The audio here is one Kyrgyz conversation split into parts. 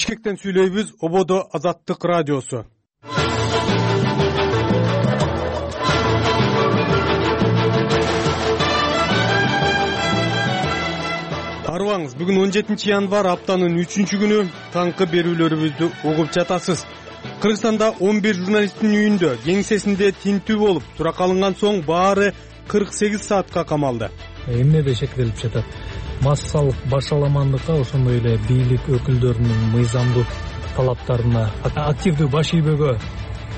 Бишкектен сүйлөйбүз. Ободо Азаттык радиосу. Арыбаңыз, бүгүн 17 январь, аптанын 3-күнү. Таңкы берүүлөрүбүздү угуп жатасыз. Кыргызстанда 11 журналисттин үйүндө, кеңсесинде тинтүү болуп, суракка алынган соң баары 48 саатка камалды. Эмнеде шектелип жатат? Массалык башаламандыкка, ошондой эле бийлик өкүлдөрүнүн мыйзамдуу талаптарына, активдүү баш ийбөөгө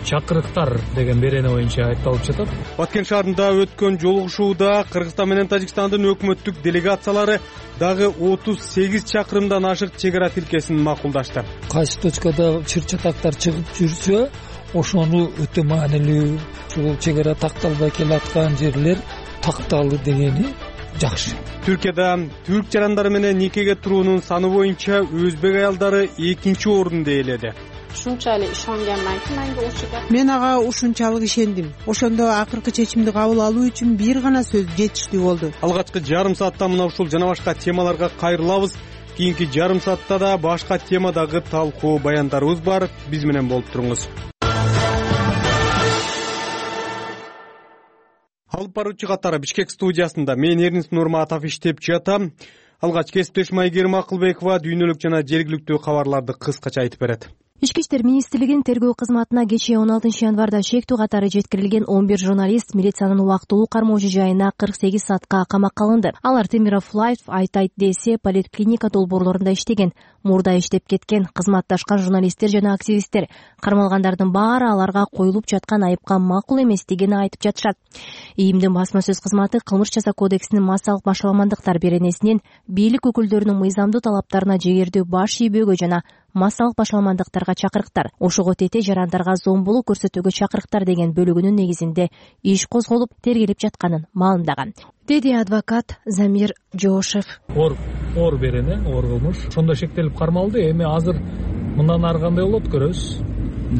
чакырыктар деген берене боюнча айтылып жатат. Баткен шаарында өткөн жолугушууда Кыргызстан менен Тажикстандын өкмөттүк делегациялары дагы 38 чакырымдан ашык чек ара тилкесин макулдашты. Кайсы точкада чыр-чатактар чыгып жүрсө, ошону өтө маанилүү, ушул чек ара такталбай келаткан жерлер такталды дегени жакшы. Түркияда түрк жарандары менен никеге туруунун саны боюнча өзбек аялдары 2-чи орунду ээледи. Ушунчалык ишенгандан кийин менде ушуга мен ага ушунчалык ишендим. Ошондо акыркы чечимди кабыл алуу үчүн бир гана сөз жетиштүү болду. Алгачкы жарым саатта мына ушул жана башка темаларга кайрылабыз. Кийинки жарым саатта да башка темадагы талкуу баяндарыбыз бар. Биз менен болуп туруңуз. Алып баруучу катары Бишкек студиясында мен Эрнис Нурматов иштеп жатам. Алгач кесиптешим Айгерим Акылбекова дүйнөлүк жана жергиликтүү кабарларды кыскача айтып берет. Ички иштер министрлигинин тергөө кызматына кечээ 16 январда шектүү катары жеткирилген 11 журналист милициянын убактылуу кармоо жайына 48 саатка камакка алынды. Алар Темиров Лайф айтайт десе поликлиника долбоорлорунда иштеген, мурда иштеп кеткен кызматташкан журналисттер жана активисттер. Кармалгандардын баары аларга коюлуп жаткан айыпка макул эместигин айтып жатышат. ИИМдин басма сөз кызматы кылмыш жаза кодексинин массалык башаламандыктар беренесинен бийлик өкүлдөрүнүн мыйзамдуу талаптарына жегердүү баш ийбөөгө жана массалык башаламандыктарга чакырыктар, ошого тете жарандарга зомбулук көрсөтүүгө чакырыктар деген бөлүгүнүн негизинде иш козголуп тергелип жатканын маалымдаган, деди адвокат Замир Жошев. Оор берене, оор кылмыш. Ошондо шектелип кармалды. Эми азыр мындан ары кандай болот көрөбүз.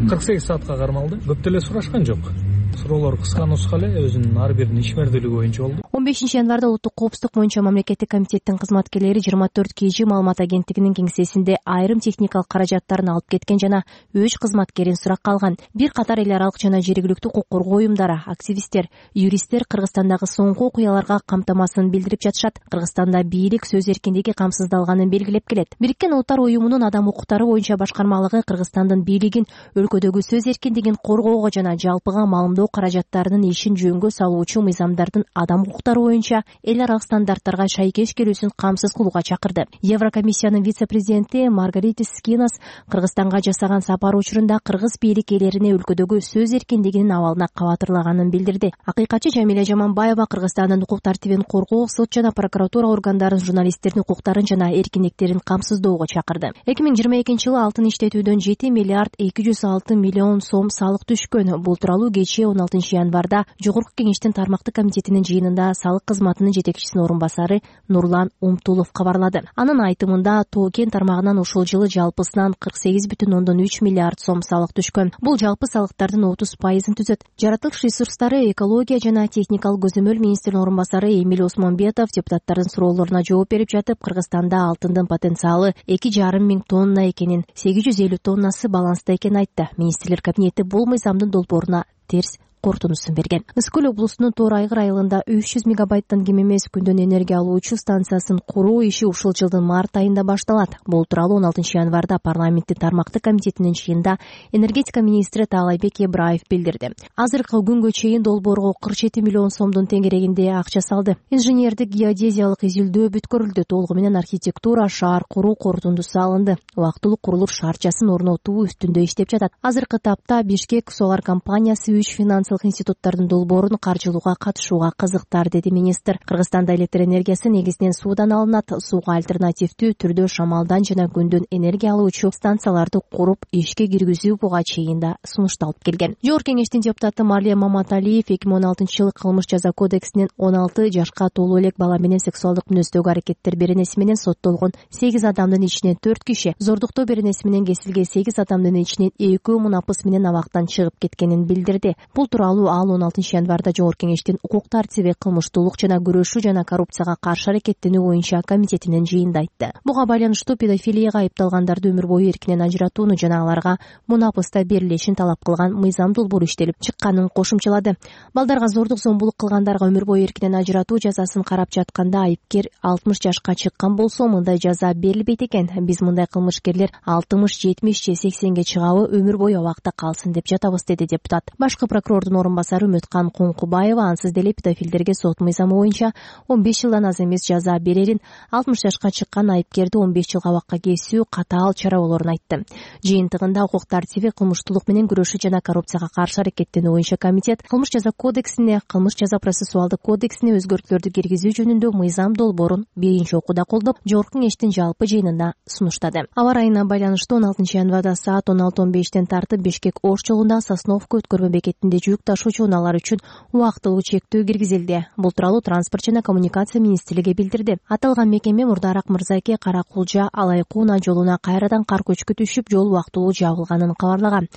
48 саатка кармалды. Көп деле сурашкан жок. Суроолор кыска нуска эле, өзүнүн ар биринин ишмердүүлүгү боюнча болду. 15 январда Улуттук коопсуздук боюнча мамлекеттик комитеттин кызматкерлери 24 KG маалымат агенттигинин кеңсесинде айрым техникалык каражаттарын алып кеткен жана 3 кызматкерин суракка алган. Бир катар эл аралык жана жергиликтүү укук коргоо уюмдары, активисттер, юристтер Кыргызстандагы соңку окуяларга камтамасын билдирип жатышат. Кыргызстанда бийлик сөз эркиндиги камсыздалганын белгилеп келет. Бириккен Улуттар уюмунун адам укуктары боюнча башкармалыгы Кыргызстандын бийлигин өлкөдөгү сөз эркиндигин коргоого жана жалпыга маалымдоо каражаттарынын ишин жөнгө салуучу мыйзамдардын адам укуктары боюнча эл аралык стандарттарга шайкеш келүүсүн камсыз кылууга чакырды. Еврокомиссиянын вице-президенти Маргаритис Скинас Кыргызстанга жасаган сапар учурунда кыргыз бийлик ээлерине өлкөдөгү сөз эркиндигинин абалына кабатырлаганын билдирди. Акыйкатчы Жамиля Жаманбаева Кыргызстандын укук тартибин коргоо, сот жана прокуратура органдарын журналисттердин укуктарын жана эркиндиктерин камсыздоого чакырды. 2022-жылы алтын иштетүүдөн 7 миллиард 206 миллион сом салык түшкөн. Бул тууралуу кечээ 16 январда Жогорку кеңештин тармактык комитетинин жыйынында салык кызматынын жетекчисинин орун басары Нурлан Умтулов кабарлады. Анын айтымында Тоо-Кен тармагынан ушул жылы жалпысынан 48,3 миллиард сом салык түшкөн. Бул жалпы салыктардын 30% түзөт. Жаратылыш ресурстары, экология жана техникалык көзөмөл министринин орун басары Эмиль Осмонбетов депутаттардын суроолоруна жооп берип жатып, Кыргызстанда алтындын потенциалы 2,5 миң тонна экенин, 850 тоннасы баланста экенин айтты. Министрлер кабинети бул мыйзамдын долбооруна терс корутундусун берген. Ысык көл облусунун Тоор Айгыр айылында 300 мегабайттан кем эмес күндөн энергия алуучу станциясын куруу иши ушул жылдын март айында башталат. Бул тууралуу 16 январда парламенттин тармактык комитетинин жыйынында энергетика министри Таалайбек Ибраев билдирди. Азыркы күнгө чейин долбоорго 47 миллион сомдун теңгерегинде акча салды. Инженердик геодезиялык изилдөө бүткөрүлдү. Толугу менен архитектура, шаар куруу корутундусу алынды. Убактылуу курулуш шаарчасын орнотуу үстүндө иштеп жатат. Азыркы тапта Бишкек Солар компаниясы 3 финансылык институттардын долбоорун каржылууга катышууга кызыктар, деди министр. Кыргызстанда электр энергиясы негизинен суудан алынат. Сууга альтернативдүү түрдө шамалдан жана күндөн энергия алуучу станцияларды куруп ишке киргизүү буга чейин да сунушталып келген. Жогорку кеңештин депутаты Марлия Маматалиев 2016-жылы кылмыш жаза кодексинин 16 жашка толуу элек бала менен сексуалдык мүнөздөгү аракеттер беренеси менен соттолгон 8 адамдын ичинен 4 киши, зордуктоо беренеси менен кесилген 8 адамдын ичинен 2 мунапыс менен абактан чыгып кеткенин билдирди. Бул тууралуу ал 16 январда Жогорку Кеңештин укук тартиби, кылмыштуулук жана күрөшүү жана коррупцияга каршы аракеттенүү боюнча комитетинин жыйынында айтты. Буга байланыштуу педофилияга айыпталгандарды өмүр бою эркинен ажыратууну жана аларга мунапыста берилишин талап кылган мыйзам долбоору иштелип чыкканын кошумчалады. Балдарга зордук зомбулук кылгандарга өмүр бою эркинен ажыратуу жазасын карап жатканда айыпкер 60 жашка чыккан болсо мындай жаза берилбейт экен. Биз мындай кылмышкерлер 60, 70 же 80ге чыгабы өмүр бою абакта калсын деп жатабыз, деди депутат. Башкы прокурордун орун басары Үмөткан Коңкубаева ансыз деле педофилдерге сот мыйзамы боюнча 15 жылдан аз эмес жаза берерин, 60 жашка чыккан айыпкерди 15 жыл абакка кесүү катаал чара болорун айтты. Жыйынтыгында укук тартиби, кылмыштуулук менен күрөшүү жана коррупцияга каршы аракеттенүү боюнча комитет кылмыш жаза кодексине, кылмыш жаза процессуалдык кодексине өзгөртүүлөрдү киргизүү жөнүндө мыйзам долбоорун биринчи окууда колдоп, Жогорку Кеңештин жалпы жыйынында сунуштады. Аба ырайына байланыштуу 16 январда саат 16:15 тартып Бишкек-Ош жолунда Сосновка өткөрмө бекетинде жүк ташуучу унаалар үчүн убактылуу чектөө киргизилди. Бул тууралуу Транспорт жана коммуникация министрлиги билдирди. Аталган мекеме Мурдараак Мырзаке Кара Кулжа Алайкуу унаа жолуна кайрадан кар көчкү түшүп, жол убактылуу жабылганын кабарлаган.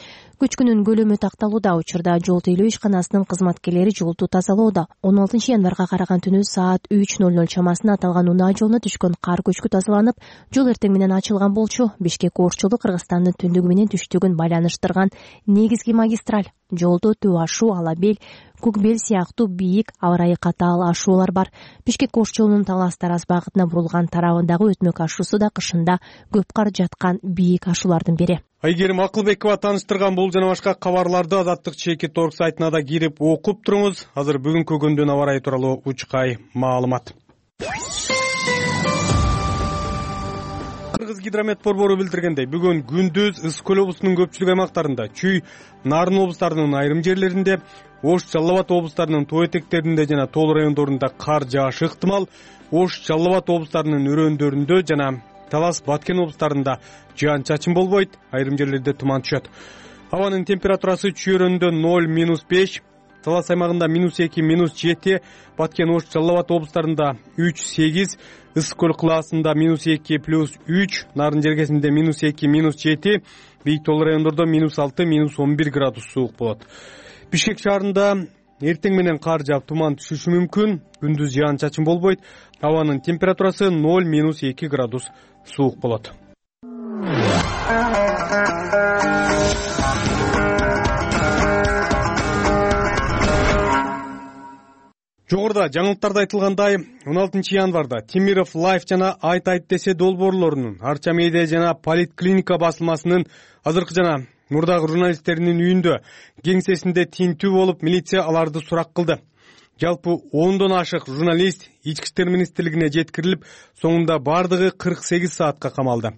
Көчкүнүн көлөмү такталууда. Учурда жол тейлөө ишканасынын кызматкерлери жолду тазалоодо. 16 январга караган түнү саат 3:00 чамасында аталган унаа жолуна түшкөн кар көчкү тазаланып, жол эртең менен ачылган болчу. Бишкек-Ош жолу Кыргызстандын түндүгү менен түштүгүн байланыштырган негизги магистраль. Жолдо Төө ашуу, Алабел, Көкбел сыяктуу бийик, аба ырайы катаал ашуулар бар. Бишкек-Ош жолунун Талас-Тараз багытына бурулган тарабындагы өтмөк ашуусу да кышында көп кар жаткан бийик ашуулардын бири. Айгерим Акылбекова тааныштырган бул жана башка кабарларды Азаттык чекит орг сайтына да кирип окуп туруңуз. Азыр бүгүнкү күндүн аба ырайы тууралуу учкай маалымат. Кыргызгидромет борбору билдиргендей, бүгүн күндүз Ысык көл облусунун көпчүлүк аймактарында, Чүй, Нарын облустарынын айрым жерлеринде, Ош, Жалал Абад облустарынын тоо этектеринде жана тоол райондорунда кар жаашы ыктымал. Ош, Жалал Абад облустарынын өрөөндөрүндө жана Талас, Баткен облустарында жаан-чачын болбойт, айрым жерлерде туман түшөт. Абанын температурасы Чүй өрөөнүндө 0-5, Талас аймагында -2, -7, Баткен, Ош, Жалал Абад облустарында 3-8, Ысык көл кылаасында -2, +3, Нарын жергесинде -2, -7, бийик тоол райондордо -6, -11 градус суук болот. Бишкек шаарында эртең менен кар жаап туман түшүшү мүмкүн, күндүз жаан-чачын болбойт. Абанын температурасы 0-2 градус суук болот. Жогоруда жаңылыктарда айтылгандай, 16 январда Темиров Лайф жана Айт десе долбоорлорунун Арча медиа жана Политклиника басылмасынын азыркы жана мурдагы журналисттеринин үйүндө кеңсесинде тинтүү болуп, милиция аларды сурак кылды. Жалпы 10дон ашык журналист Ички иштер министрлигине жеткирилип, соңунда бардыгы 48 саатка камалды.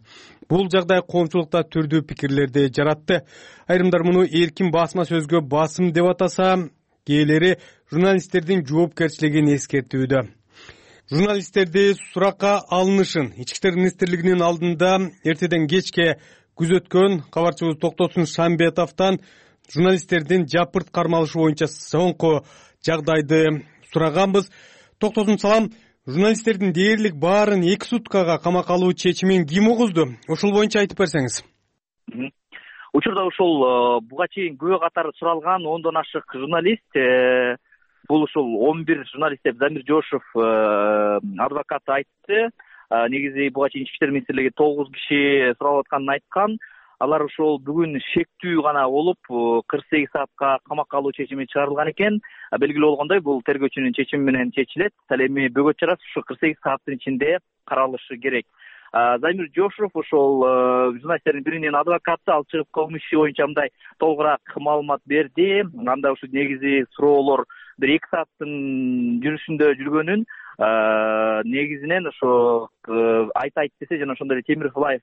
Бул жагдай коомчулукта түрдүү пикирлерди жаратты. Айрымдар муну эркин басма сөзгө басым деп атаса, кээделери журналисттердин жоопкерчилигин эскертүүдө. Журналисттерди суракка алынышын Ички иштер министрлигинин алдында эртеден кечке күзөткөн кабарчыбыз Токтосун Шамбетовдон журналисттердин жапырт кармалышы боюнча соңку жагдайды сураганбыз. Токтосун салам, журналисттердин дээрлик баарын 2 суткага камакка алуу чечимин ким угузду? Ошол боюнча айтып берсеңиз. Учурда ушул буга чейин күбө катары суралган 10дон ашык журналист, бул ушул 11 журналист деп Замир Жошев адвокат айтты. Негизи буга чейин Ички иштер министрлиги 9 киши суралып атканын айткан. Алар ошол бүгүн шектүү гана болуп 48 саатка камакка алуу чечими чыгарылган экен. Белгилүү болгондой, бул тергөөчүнүн чечими менен чечилет. Ал эми бөгөт чарасы ушу 48 сааттын ичинде каралышы керек. Замир Жошев ошол журналисттердин биринин адвокаты, ал чыгып кылмыш иши боюнча мындай толугураак маалымат берди. Анда ушу негизи суроолор 1-2 сааттын жүрүшүндө жүргөнүн, негизинен ошо Айт десе жана ошондой эле Темиров Лайф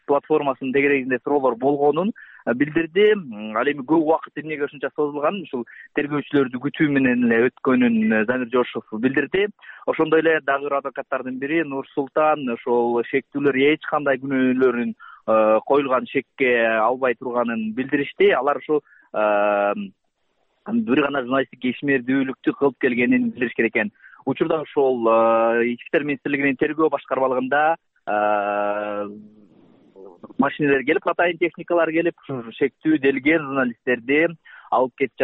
платформасынын тегерегинде суроолор болгонун билдирди. Ал эми көп убакыт эмнеге ушунча созулганын, ушул тергөөчүлөрдү күтүү менен эле өткөнүн Замир Жошев билдирди. Ошондой эле дагы бир адвокаттардын бири Нур Султан ошол шектүүлөр эч кандай күнөөлөрүн коюлган шекке албай турганын билдиришти. Алар ушу бир гана журналисттик ишмердүүлүктү кылып келгенин билдиришкен экен. Учурда ошол Ички иштер министрлигинин тергөө башкармалыгында машиналар келип, атайын техникалар келип, шектүү делген журналисттерди алып кетип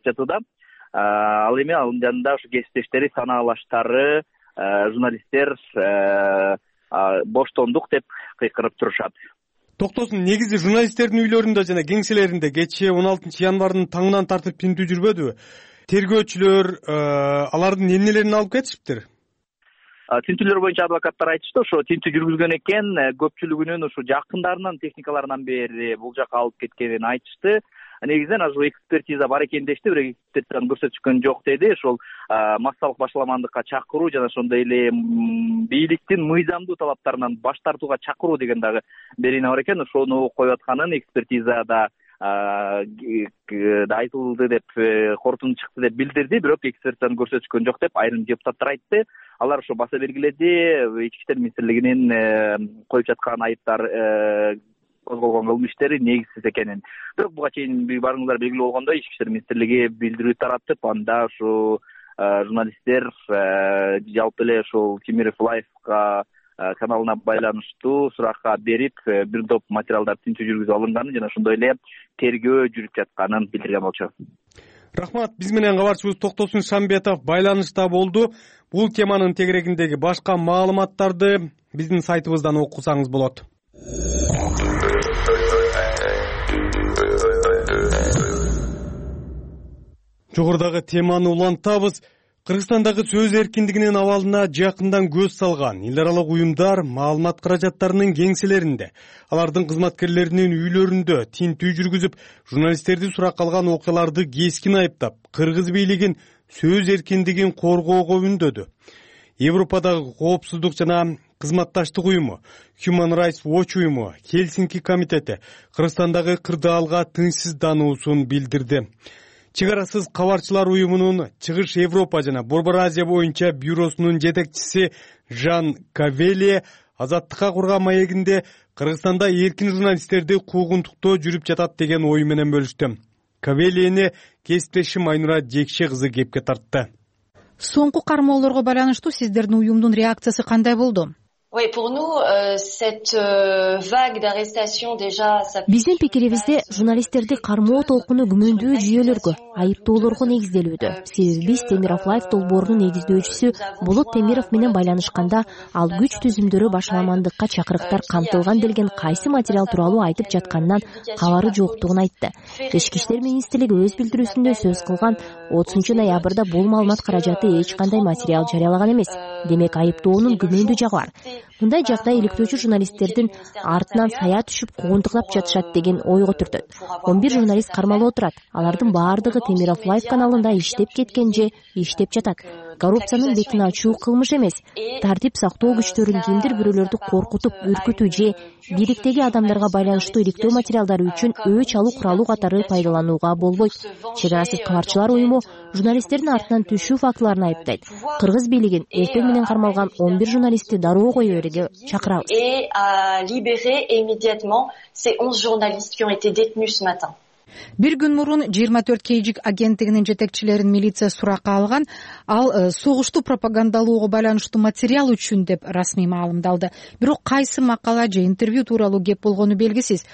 жатууда. Ал эми анын жанында ушу кесиптештери, санаалаштары, журналисттер боштондук деп кыйкырып турушат. Токтосун, негизи журналисттердин үйлөрүндө жана кеңселеринде кечээ 16 январдын таңынан тартып тинтүү жүрбөдүбү? Тергөөчүлөр алардын эмнелерин алып кетишиптир? Тинтүүлөр боюнча адвокаттар айтышты, ошо тинтүү жүргүзгөн экен, көпчүлүгүнүн ушу жакындарынан, техникаларынан бери бул жака алып кеткенин айтышты. Негизинен ошо экспертиза бар экен дешти, бирок экспертизаны көрсөтүшкөн жок деди. Ошол массалык башаламандыкка чакыруу жана ошондой эле бийликтин мыйзамдуу талаптарынан баш тартууга чакыруу деген дагы берина бар экен. Ошону коюп атканын экспертизада айтылды деп, корутунду чыкты деп билдирди, бирок экспертизаны көрсөтүшкөн жок деп айрым депутаттар айтты. Алар ошо баса белгиледи, Ички иштер министрлигинин коюп жаткан айыптар, козголгон кылмыш иштери негизсиз экенин. Бирок буга чейин барыңыздар белгилүү болгондой, Ички иштер министрлиги билдирүү таратып, анда ушу журналисттер жалпы эле ушул Темиров Лайфка каналына байланыштуу суракка берип, бир топ материалдар тинтүү жүргүзүп алынганын жана ошондой эле тергөө жүрүп жатканын билдирген болчу. Рахмат. Биз менен кабарчыбыз Токтосун Шамбетов байланышта болду. Бул теманын тегерегиндеги башка маалыматтарды биздин сайтыбыздан окусаңыз болот. Жогорудагы теманы улантабыз. Кыргызстандагы сөз эркиндигинин абалына жакындан көз салган эл аралык уюмдар маалымат каражаттарынын кеңселеринде, алардын кызматкерлеринин үйлөрүндө тинтүү жүргүзүп, журналисттерди суракка алган окуяларды кескин айыптап, кыргыз бийлигин сөз эркиндигин коргоого үндөдү. Европадагы коопсуздук жана кызматташтык уюму, Human Rights Watch уюму, Хельсинки комитети Кыргызстандагы кырдаалга тынчсыздануусун билдирди. Чыгарасыз кабарчылар уюмунун Чыгыш Европа жана Борбор Азия боюнча бюросунун жетекчиси Жан Кавелие Азаттыкка курган маегинде Кыргызстанда эркин журналисттерди куугунтуктоо жүрүп жатат деген ой менен бөлүштү. Кавелиени кесиптешим Айнура Жекше кызы кепке тартты. Соңку кармоолорго байланыштуу сиздердин уюмдун реакциясы кандай болду? Биздин пикирибизде журналисттерди кармоо толкуну күмөндүү жүйөлөргө, айыптоолорго негизделүүдө. Себеби биз Темиров Лайф долбоорунун негиздөөчүсү Болот Темиров менен байланышканда ал күч түзүмдөрү башаламандыкка чакырыктар камтылган делген кайсы материал тууралуу айтып жатканынан кабары жоктугун айтты. Ички иштер министрлиги өз билдирүүсүндө сөз кылган 30 ноябрда бул маалымат каражаты эч кандай материал жарыялаган эмес. Демек айыптоонун күмөндүү жагы бар. Мындай жагдай иликтөөчү журналисттердин артынан сая түшүп куугунтуктап жатышат деген ойго түртөт. 11 журналист кармалып отурат. Алардын баардыгы Темиров Лайф каналында иштеп кеткен же иштеп жатат. Коррупциянын бетин ачуу кылмыш эмес. Тартип сактоо күчтөрүн кимдир бирөөлөрдү коркутуп, үркүтүү же бийликтеги адамдарга байланыштуу иликтөө материалдары үчүн өч алуу куралы катары пайдаланууга болбойт. Чыгарасыз кабарчылар уюму журналисттердин артынан түшүү фактыларын айыптайт. Кыргыз бийлигин эртең менен кармалган 11 журналистти дароо кое берүүгө чакырабыз. Бир күн мурун 24 Кейжик агенттигинин жетекчилерин милиция суракка алган. Ал согушту пропагандалоого байланыштуу материал үчүн деп расмий маалымдалды. Бирок кайсы макала же интервью тууралуу кеп болгону белгисиз.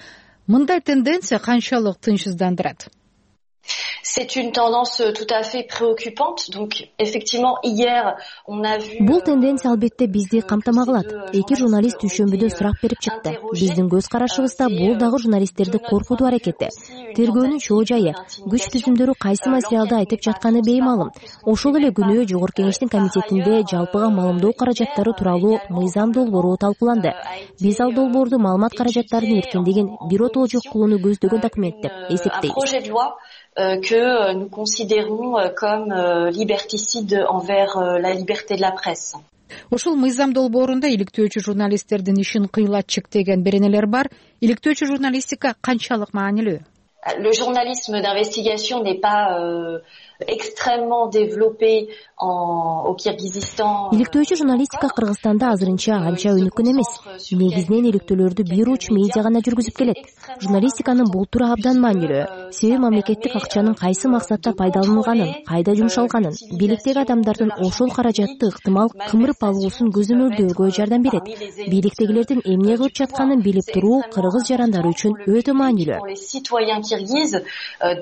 Мындай тенденция канчалык тынчсыздандырат? C'est une tendance tout à fait préoccupante. Donc, effectivement, hier, on a vu... Бул тенденция албетте бизди камтама кылат. Эки журналист түшөмбүдө сурак берип чыкты. Биздин көз карашыбызда бул дагы журналисттерди коркутуу аракети. Тергөөнүн чоо жайы, күч түзүмдөрү кайсы материалды айтып жатканы беймалым. Ошол эле күнү Жогорку Кеңештин комитетинде жалпыга маалымдоо каражаттары тууралуу мыйзам долбоору талкууланды. Биз ал долбоорду маалымат каражаттарынын эркиндигин биротоло жок кылууну көздөгөн документ деп эсептейбиз. Que nous considérons comme liberticide envers la liberté de la presse. Ошол мыйзам долбоорунда иликтөөчү журналисттердин ишин кыйлатчык деген беренелер бар. Иликтөөчү журналистика канчалык маанилүү? Le journalisme d'investigation n'est pas extrêmement développé au Kyrgyzstan. Иликтөөчү журналистика Кыргызстанда азырынча анча өнүккөн эмес. Негизинен иликтөөлөрдү бир уч медиа гана жүргүзүп келет. Журналистиканын бул туру абдан маанилүү. Себеби мамлекеттик акчанын кайсы максатта пайдаланылганын, кайда жумшалганын, бийликтеги адамдардын ошол каражатты ыктымал кымырып алуусун көзөмөлдөөгө жардам берет. Бийликтегилердин эмне кылып жатканын билип туруу кыргыз жарандары үчүн өтө маанилүү. Kirghizes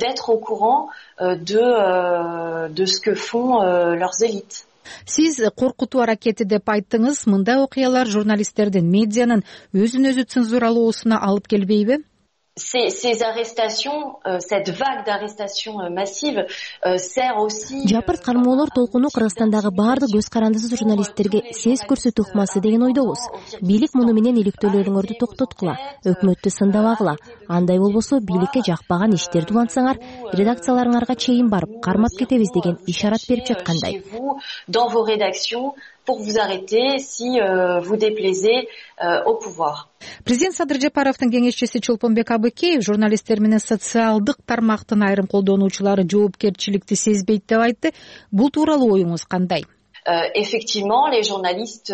d'être au courant de ce que font leurs élites. Сиз коркутуу аракети деп айттыңыз. Мындай окуялар журналисттердин, медианын өзүн өзү цензуралоосуна алып келбейби? Ces arrestations, cette vague d'arrestations massives sert aussi. Жапырт кармоолор толкуну Кыргызстандагы баардык көз карандысыз журналисттерге сес көрсөтүү ыкмасы деген ойдобуз. Бийлик муну менен иликтөөлөрүңөрдү токтоткула, өкмөттү сындабагыла. Андай болбосо бийликке жакпаган иштерди улантсаңар, редакцияларыңарга чейин барып кармап кетебиз деген ишарат берип жаткандай. Dans vos rédactions pour vous arrêter si vous déplaisez au pouvoir. Президент Садыр Жапаровдун кеңешчиси Чолпонбек Абыкеев журналисттер менен социалдык тармактын айрым колдонуучулары жоопкерчиликти сезбейт деп айтты. Бул тууралуу оюңуз кандай? Effectivement, les journalistes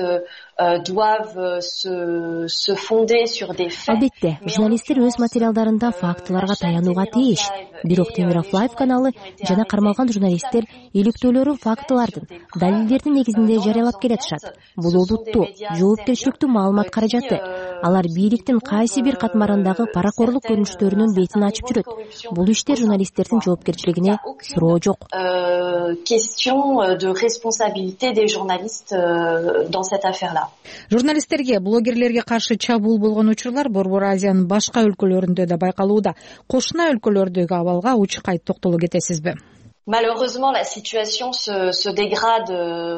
doivent se fonder sur des faits. Албетте, журналисттер өз материалдарында фактыларга таянууга тийиш. Бирок Темиров Лайв каналы жана кармалган журналисттер иликтөөлөрүн фактылардын, далилдердин негизинде жарыялап келатышат. Бул олуттуу, жоопкерчиликтүү маалымат каражаты. Алар бийликтин кайсы бир катмарындагы паракорлук көрүнүштөрүнүн бетин ачып жүрөт. Бул иштер журналисттердин жоопкерчилигине суроо жок. Question de responsabilité des journalistes dans cette affaire-là. Журналисттерге, блогерлерге каршы чабуул болгон учурлар Борбор Азиянын башка өлкөлөрүндө да байкалууда. Кошуна өлкөлөрдөгү абалга учкай токтоло кетесизби? Malheureusement, la situation se dégrade.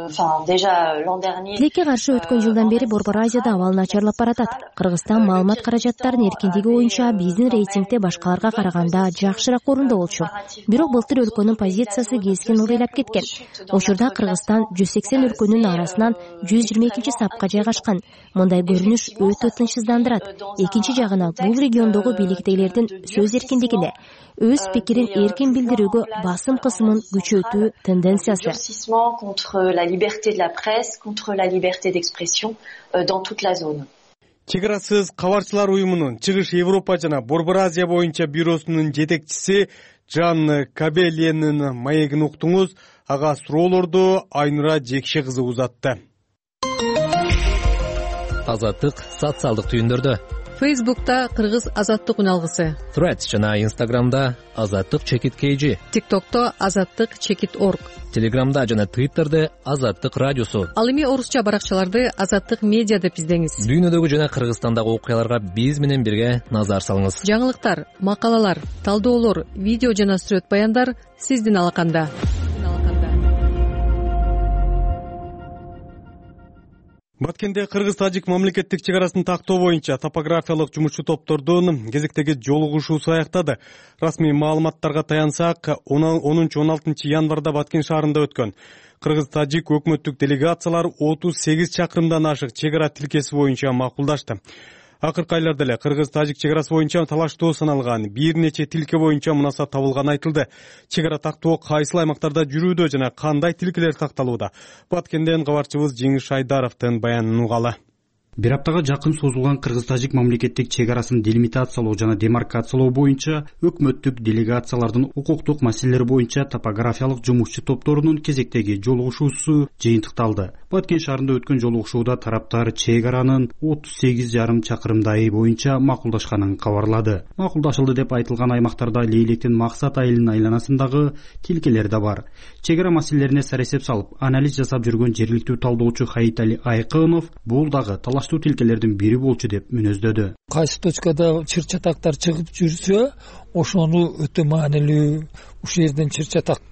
Enfin, déjà l'an dernier. Тилекке каршы өткөн жылдан бери Борбор Азияда абал начарлап баратат. Кыргызстан маалымат каражаттарынын эркиндиги боюнча биздин рейтингде башкаларга караганда жакшыраак орунда болчу. Бирок былтыр өлкөнүн позициясы keskin ылдыйлап кеткен. Учурда Кыргызстан 180 өлкөнүн арасынан 122-сапка жайгашкан. Мындай көрүнүш өтө тынчсыздандырат. Экинчи жагынан бул региондогу бийликтегилердин сөз эркиндигине, өз пикирин эркин билдирүүгө басым кысымын күчөтүү тенденциясы. Contre la liberté de la presse, contre la liberté d'expression dans toute la zone. Чек арасыз кабарчылар уюмунун Чыгыш Европа жана Борбор Азия боюнча бюросунун жетекчиси Жан Кабеленин маегин уктуңуз. Ага суроолорду Айнура Жекше кызы узатты. Азаттык социалдык түйүндөрдө. Facebook'ta Kırgız Azatlık Unalgısı. Threads жана Instagram'da Azatlık Çekit KG. TikTok'ta Azatlık Çekit Org. Telegram'da жана Twitter'da Azatlık Radyosu. Ал эми орусча баракчаларды Azatlık Media деп издеңиз. Дүйнөдөгү жана Кыргызстандагы окуяларга биз менен бирге назар салыңыз. Жаңылыктар, макалалар, талдоолор, видео жана сүрөт баяндар сиздин алаканда. Баткенде Кыргыз-Тажик мамлекеттик чек арасын тактоо боюнча топографиялык жумушчу топтордун кезектеги жолугушуусу аяктады. Расмий маалыматтарга таянсак, 10-16 январда Баткен шаарында өткөн Кыргыз-Тажик өкмөттүк делегациялар 38 чакырымдан ашык чек ара тилкеси боюнча макулдашты. Акыркы айларда эле Кыргыз-Тажик чек арасы боюнча талаштуу саналган бир нече тилке боюнча мунасат табылганы айтылды. Чек ара тактоо кайсыл аймактарда жүрүүдө жана кандай тилкелер такталууда? Баткенден кабарчыбыз Жеңиш Айдаровдун баянын угалы. Бир аптага жакын созулган Кыргыз-Тажик мамлекеттик чек арасын делимитациялоо жана демаркациялоо боюнча өкмөттүк делегациялардын укуктук маселелер боюнча топографиялык жумушчу топторунун кезектеги жолугушуусу жыйынтыкталды. Баткен шаарында өткөн жолугушууда тараптар чек аранын 38,5 чакырымдайы боюнча макулдашканын кабарлады. Макулдашылды деп айтылган аймактарда Лейлектин Максат айылынын айланасындагы тилкелер да бар. Чек ара маселелерине саресеп салып, анализ жасап жүргөн жергиликтүү талдоочу Хаитали Айкынов бул дагы талаштуу тилкелердин бири болчу деп мүнөздөдү. Кайсы точкада чыр-чатактар чыгып жүрсө, ошону өтө маанилүү, ушул жерден чыр-чатак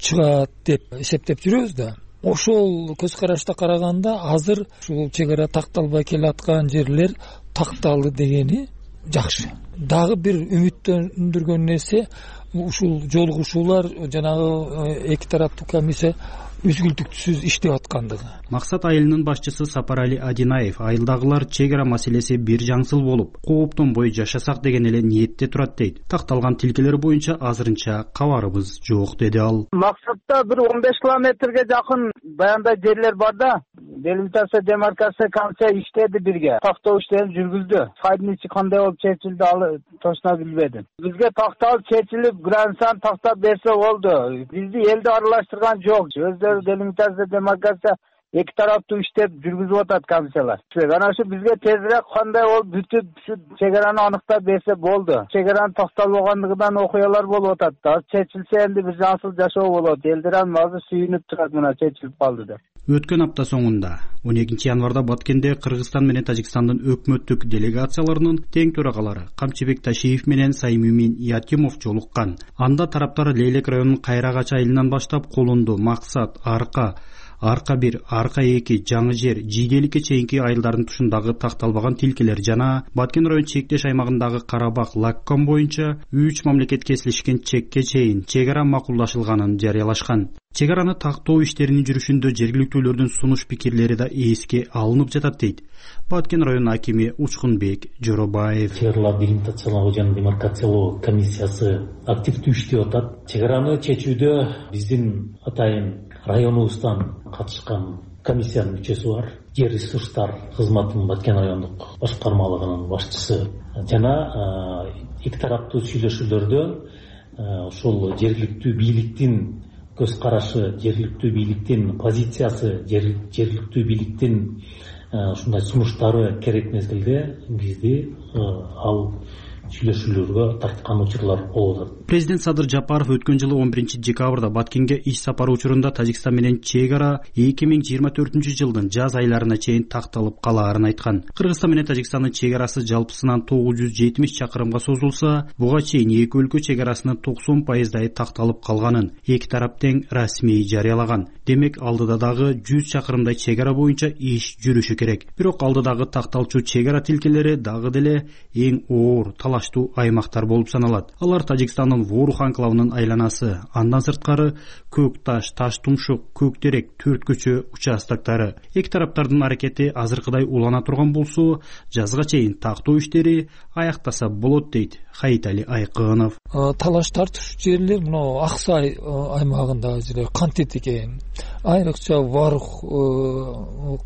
чыгат деп эсептеп жүрөбүз да. Ошол көз карашта караганда азыр ушул чек ара такталбай келаткан жерлер такталды дегени жакшы. Дагы бир үмүттөндүргөн нерсе ушул жолугушуулар жанагы эки тараптуу комиссия үзгүлтүксүз иштеп аткандыгы. Максат айылынын башчысы Сапарали Адинаев айылдагылар чек ара маселеси бир жаңсыл болуп, кооптонбой жашасак деген эле ниетте турат дейт. Такталган тилкелер боюнча азырынча кабарыбыз жок деди ал. Максатта бир 15 километрге жакын баянда жерлер бар да. Делимитация, демаркация комиссия иштеди бирге. Тактоо иштерин жүргүздү. Сайдын ичи кандай болуп чечилди ал точно билбедим. Бизге такталып чечилип, границаны тактап берсе болду. Бизди элди аралаштырган жок. Делимитация, демаркация эки тараптуу иштеп жүргүзүп атат комиссиялар. Анан ушу бизге тезирээк кандай болуп бүтүп ушу чегараны аныктап берсе болду. Чегаранын такталбагандыгынан окуялар болуп атат да. Чечилсе энди бир жасыл жашоо болот. Элдер азыр сүйүнүп турат, мына чечилип калды деп. Өткөн апта соңунда 12 январда Баткенде Кыргызстан менен Тажикстандын өкмөттүк делегацияларынын тең төрагалары Камчыбек Ташиев менен Саймимин Ятимов жолуккан. Анда тараптар Лейлек районунун Кайрагач айылынан баштап Колунду, Максат, Арка 1, Арка 2, Жаңы жер, Жийделикке чейинки айылдардын тушундагы такталбаган тилкелер жана Баткен район чектеш аймагындагы Карабак, Лакком боюнча 3 мамлекет кесилишкен чекке чейин чегара макулдашылганын жарыялашкан. Чегараны тактоо иштеринин жүрүшүндө жергиликтүүлөрдүн сунуш пикирлери да эске алынып жатат дейт Баткен районунун акими Учкунбек Жоробаев. Чегараларды делимитациялоо жана демаркациялоо комиссиясы активдүү иштеп атат. Чегараны чечүүдө биздин атайын районубуздан катышкан комиссиянын мүчөсү бар. Жер ресурстар кызматынын Баткен райондук башкармалыгынын башчысы жана эки тараптуу сүйлөшүүлөрдө ушул жергиликтүү бийликтин көз карашы, жергиликтүү бийликтин позициясы, жергиликтүү бийликтин ушундай сунуштары керек мезгилде бизди ал сүйлөшүүлөргө тарткан учурлар болуп атат. Президент Садыр Жапаров өткөн жылы 11 декабрда Баткенге иш сапары учурунда Тажикстан менен чегара 2024 жылдын жаз айларына чейин такталып калаарын айткан. Кыргызстан менен Тажикстандын чегарасы жалпысынан 970 чакырымга созулса, буга чейин эки өлкө чегарасынын 90% такталып калганын эки тарап тең расмий жарыялаган. Демек, алдыда дагы 100 чакырымдай чегара боюнча иш жүрүшү керек. Бирок алдыдагы такталчу чегара тилкелери дагы деле эң оор талаштуу аймактар болуп саналат. Алар Тажикстандын Ворух анклавынын айланасы, андан сырткары Көк Таш, Таш Тумшук, Көк Терек, Төрт көчө участоктары. Эки тараптардын аракети азыркыдай улана турган болсо, жазга чейин тактоо иштери аяктаса болот дейт Хаитали Айкынов. Талаш тартыш жерлер мына Аксай аймагындагы жерлер кантет экен. Айрыкча Ворух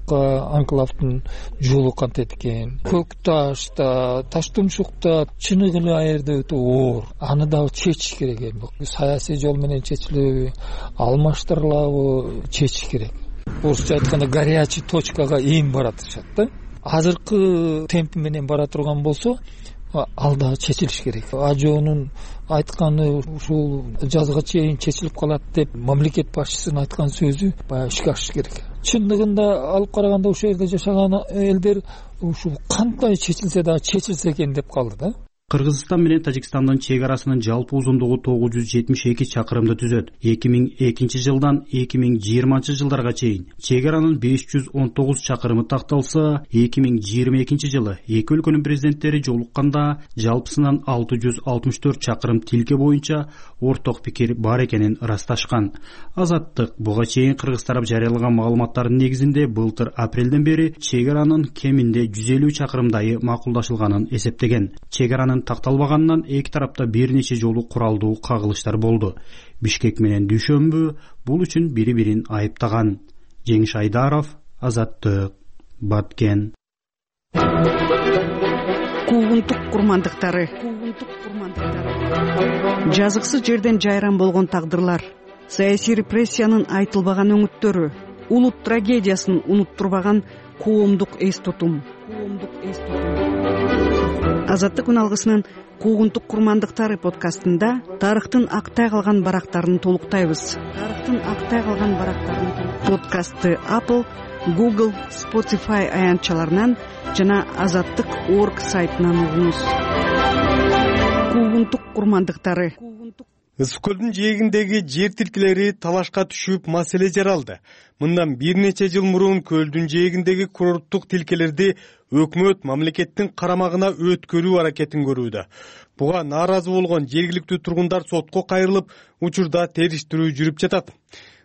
анклавдын жолу кантет экен. Көк Ташта, Таш Тумшукта чыныгы эле аерде өтө оор. Аны да чечиш керек экен. Саясий жол менен чечилеби, алмаштырылабы чечиш керек. Орусча айтканда горячий точкага эң баратышат да. Азыркы темп менен бара турган болсо, ал да чечилиш керек. Ажоонун айтканы ушул жазга чейин чечилип калат деп мамлекет башчысынын айткан сөзү баягы ишке ашыш керек. Чындыгында алып караганда ошол жерде жашаган элдер ушул кандай чечилсе да чечилсе экен деп калды да. Кыргызстан менен Тажикстандын чегарасынын жалпы узундугу 972 чакырымды түзөт. 2002 жылдан 2020 жылдарга чейин чегаранын 519 чакырымы такталса, 2022 жылы эки өлкөнүн президенттери жолукканда жалпысынан 664 чакырым тилке боюнча орток пикир бар экенин ырасташкан. Азаттык буга чейин Кыргыз тарап жарыялаган маалыматтардын негизинде былтыр апрелден бери чегаранын кеминде 150 чакырымдайы макулдашылганын эсептеген. Чегаранын такталбаганынан эки тарапта бир нече жолу куралдуу кагылыштар болду. Бишкек менен Дүйшөмбү бул үчүн бири-бирин айыптаган. Жеңиш Айдаров, Азаттык, Баткен. Куугунтук курмандыктары. Жазыксыз жерден жайран болгон тагдырлар, саясий репрессиянын айтылбаган өңүттөрү, улут трагедиясын унуттурбаган коомдук эс тутум. Азаттык күн алгысынын Куугунтук курмандыктары подкастында тарыхтын актай калган барактарын толуктайбыз. Подкастты Apple, Google, Spotify аянтчаларынан жана azattyk.org сайтынан угуңуз. Куугунтук курмандыктары. Ысык көлдүн жээгиндеги жер тилкелери талашка түшүп маселе жаралды. Мындан бир нече жыл мурун көлдүн жээгиндеги курорттук тилкелерди өкмөт мамлекеттин карамагына өткөрүү аракетин көрүүдө. Буга нааразы болгон жергиликтүү тургундар сотко кайрылып, учурда териштирүү жүрүп жатат.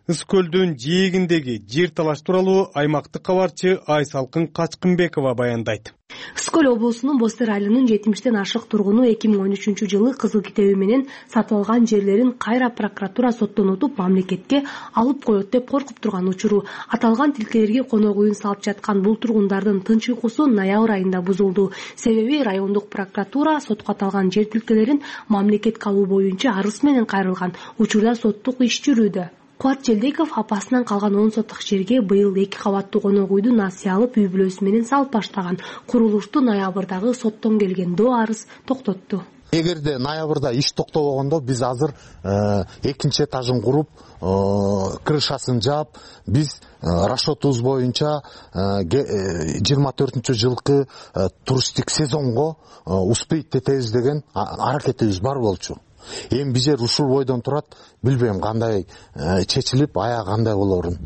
Ысык көлдүн жээгиндеги жер талаш тууралуу аймактык кабарчы Айсалкын Качкынбекова баяндайт. Ысык көл облусунун Бостер айылынын 70тен ашык тургуну 2013 жылы кызыл китеби менен сатып алган жерлерин кайра прокуратура соттон утуп мамлекетке алып коет деп коркуп турган учуру. Аталган тилкелерге конок үйүн салып жаткан бул тургундардын тынч уйкусу ноябрь айында бузулду. Себеби райондук прокуратура сотко аталган жер тилкелерин мамлекетке алуу боюнча арыз менен кайрылган. Учурда соттук иш жүрүүдө. Кубат Желдеков апасынан калган 10 соттук жерге быйыл 2 кабаттуу конок үйдү насыя алып үй бүлөсү менен салып баштаган. Курулушту ноябрдагы соттон келген доо арыз токтотту. Эгерде ноябрда иш токтобогондо биз азыр экинчи этажын куруп, крышасын жаап, биз расчетубуз боюнча 24-жылкы туристтик сезонго успеть этебиз деген аракетибиз бар болчу. Эми биз ушул бойдон турат, билбейм кандай чечилип, аяк кандай болорун.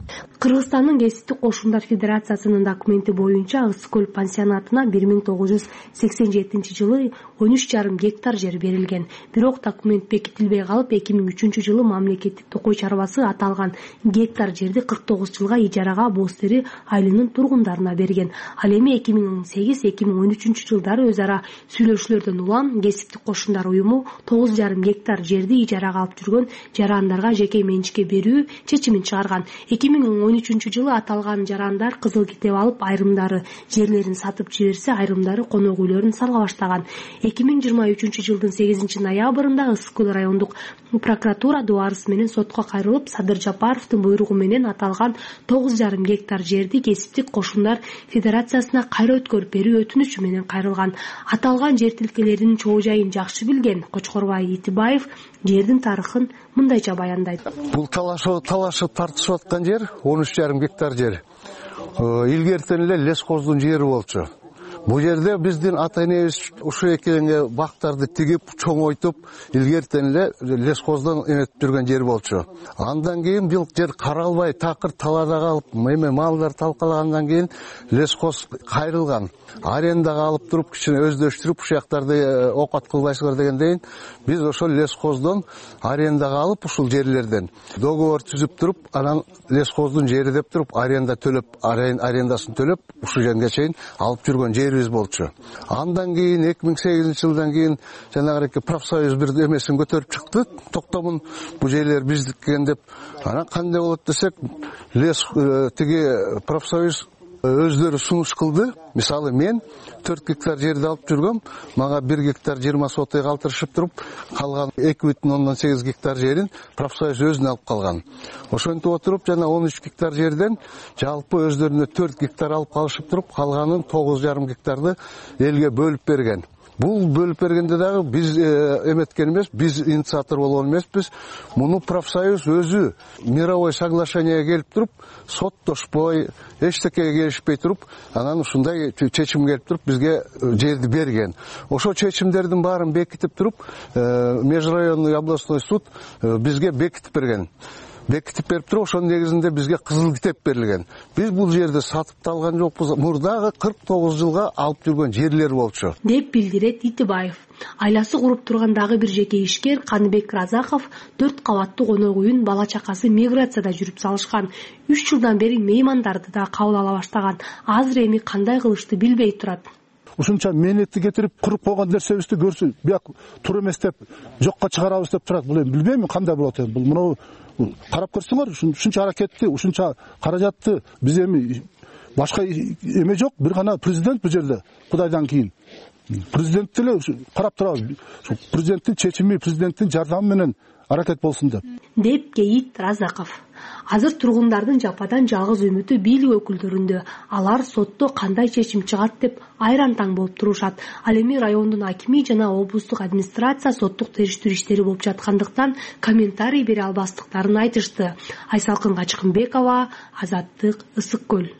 Кыргызстандын Кесиптик кошундар федерациясынын документи боюнча Ысык көл пансионатына 1987-жылы 13,5 гектар жер берилген. Бирок документ бекитилбей калып, 2003-жылы мамлекеттик токой чарбасы аталган гектар жерди 49 жылга ижарага Боз-Тери айылынын тургундарына берген. Ал эми 2008-2013 жылдары өз ара сүйлөшүүлөрдөн улам Кесиптик кошундар уюму 9,5 гектар жерди ижарага алып жүргөн жарандарга жеке менчикке берүү чечимин чыгарган. 2013-жылы аталган жарандар кызыл китеп алып, айрымдары жерлерин сатып жиберсе, айрымдары конок үйлөрүн сала баштаган. 2023-жылдын 8-ноябрында Ысык көл райондук прокуратура доо арыз менен сотко кайрылып, Садыр Жапаровдун буйругу менен аталган 9,5 гектар жерди Кесиптик кошундар федерациясына кайра өткөрүп берүү өтүнүчү менен кайрылган. Аталган жер тилкелеринин чоо жайын жакшы билген Кочкорбай Итибаев жердин тарыхын мындайча баяндайт. Бул талашып тартышып аткан жер 13,5 гектар жер. Илгертен эле лескоздун жери болчу. Бул жерде биздин ата-энебиз ушу экенге бактарды тигип, чоңойтуп, илгертен эле лескоздон эметип жүргөн жер болчу. Андан кийин бул жер каралбай, такыр талаада калып, малдар талкалагандан кийин лескоз кайрылган. Арендага алып туруп, кичине өздөштүрүп, ушул жактарды окат кылбайсыңар дегенден биз ошол лескоздон арендага алып, ушул жерлерден договор түзүп туруп, анан лескоздун жери деп туруп, аренда төлөп, арендасын төлөп, ушул жерге чейин алып жүргөн жерибиз болчу. Андан кийин 2008-жылдан кийин жанагы профсоюз бир эмесин көтөрүп чыкты, токтомун бул жерлер биздикен деп. Анан кандай болот десек, тиги профсоюз өздөрү сунуш кылды. Мисалы мен 4 гектар жерди алып жүргөм, мага 1 гектар 20 сотый калтырышып туруп, калган 2,8 гектар жерин профсоюз өзүнө алып калган. Ошентип отуруп, жана 13 гектар жерден жалпы өздөрүнө 4 гектар алып калышып туруп, калганын 9,5 гектарды элге бөлүп берген. Бул бөлүп бергенде дагы биз эметкен эмес, биз инициатор болгон эмеспиз. Муну профсоюз өзү мировой соглашениеге келип туруп, соттошпой, эчтекеге келишпей туруп, анан ушундай чечим келип туруп бизге жерди берген. Ошо чечимдердин баарын бекитип туруп, межрайонный областной суд бизге бекитип берген. Бекитип берип туруп, ошонун негизинде бизге кызыл китеп берилген. Биз бул жерди сатып да алган жокпуз. Мурдагы 49 жылга алып жүргөн жерлер болчу, деп билдирет Итибаев. Айласы куруп турган дагы бир жеке ишкер Каныбек Разаков 4 кабаттуу конок үйүн бала чакасы миграцияда жүрүп салышкан. 3 жылдан бери меймандарды да кабыл ала баштаган. Азыр эми кандай кылышты билбей турат. Ушунча мээнетти кетирип куруп койгон нерсебизди көрсө, бияк туура эмес деп, жокко чыгарабыз деп турат. Бул эми билбейм кандай болот эми. Бул мына карап көрсөңөр, ушунча аракетти, ушунча каражатты биз эми башка эме жок, бир гана президент бул жерде. Кудайдан кийин президент деле карап турабыз. Президенттин чечими, президенттин жардамы менен аракет болсун деп кейит Разаков. Азыр тургундардын жападан жалгыз үмүтү бийлик өкүлдөрүндө. Алар сотто кандай чечим чыгат деп айран таң болуп турушат. Ал эми райондун акими жана облустук администрация соттук териштирүү иштери болуп жаткандыктан комментарий бере албастыктарын айтышты. Айсалкын Качкынбекова, Азаттык, Ысык көл.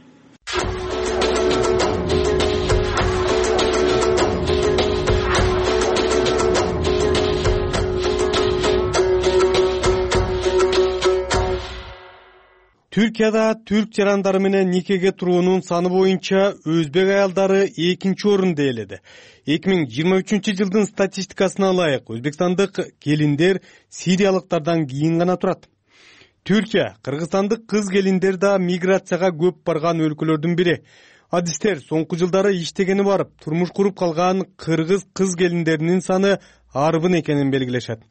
Түркияда түрк жарандары менен никеге туруунун саны боюнча өзбек аялдары 2-нчи орунда ээледи. 2023-жылдын статистикасына ылайык өзбекстандык келиндер сириялыктардан кийин гана турат. Түркия кыргызстандык кыз келиндер да миграцияга көп барган өлкөлөрдүн бири. Адистер соңку жылдары иштегени барып, турмуш куруп калган кыргыз кыз келиндеринин саны арбын экенин белгилешет.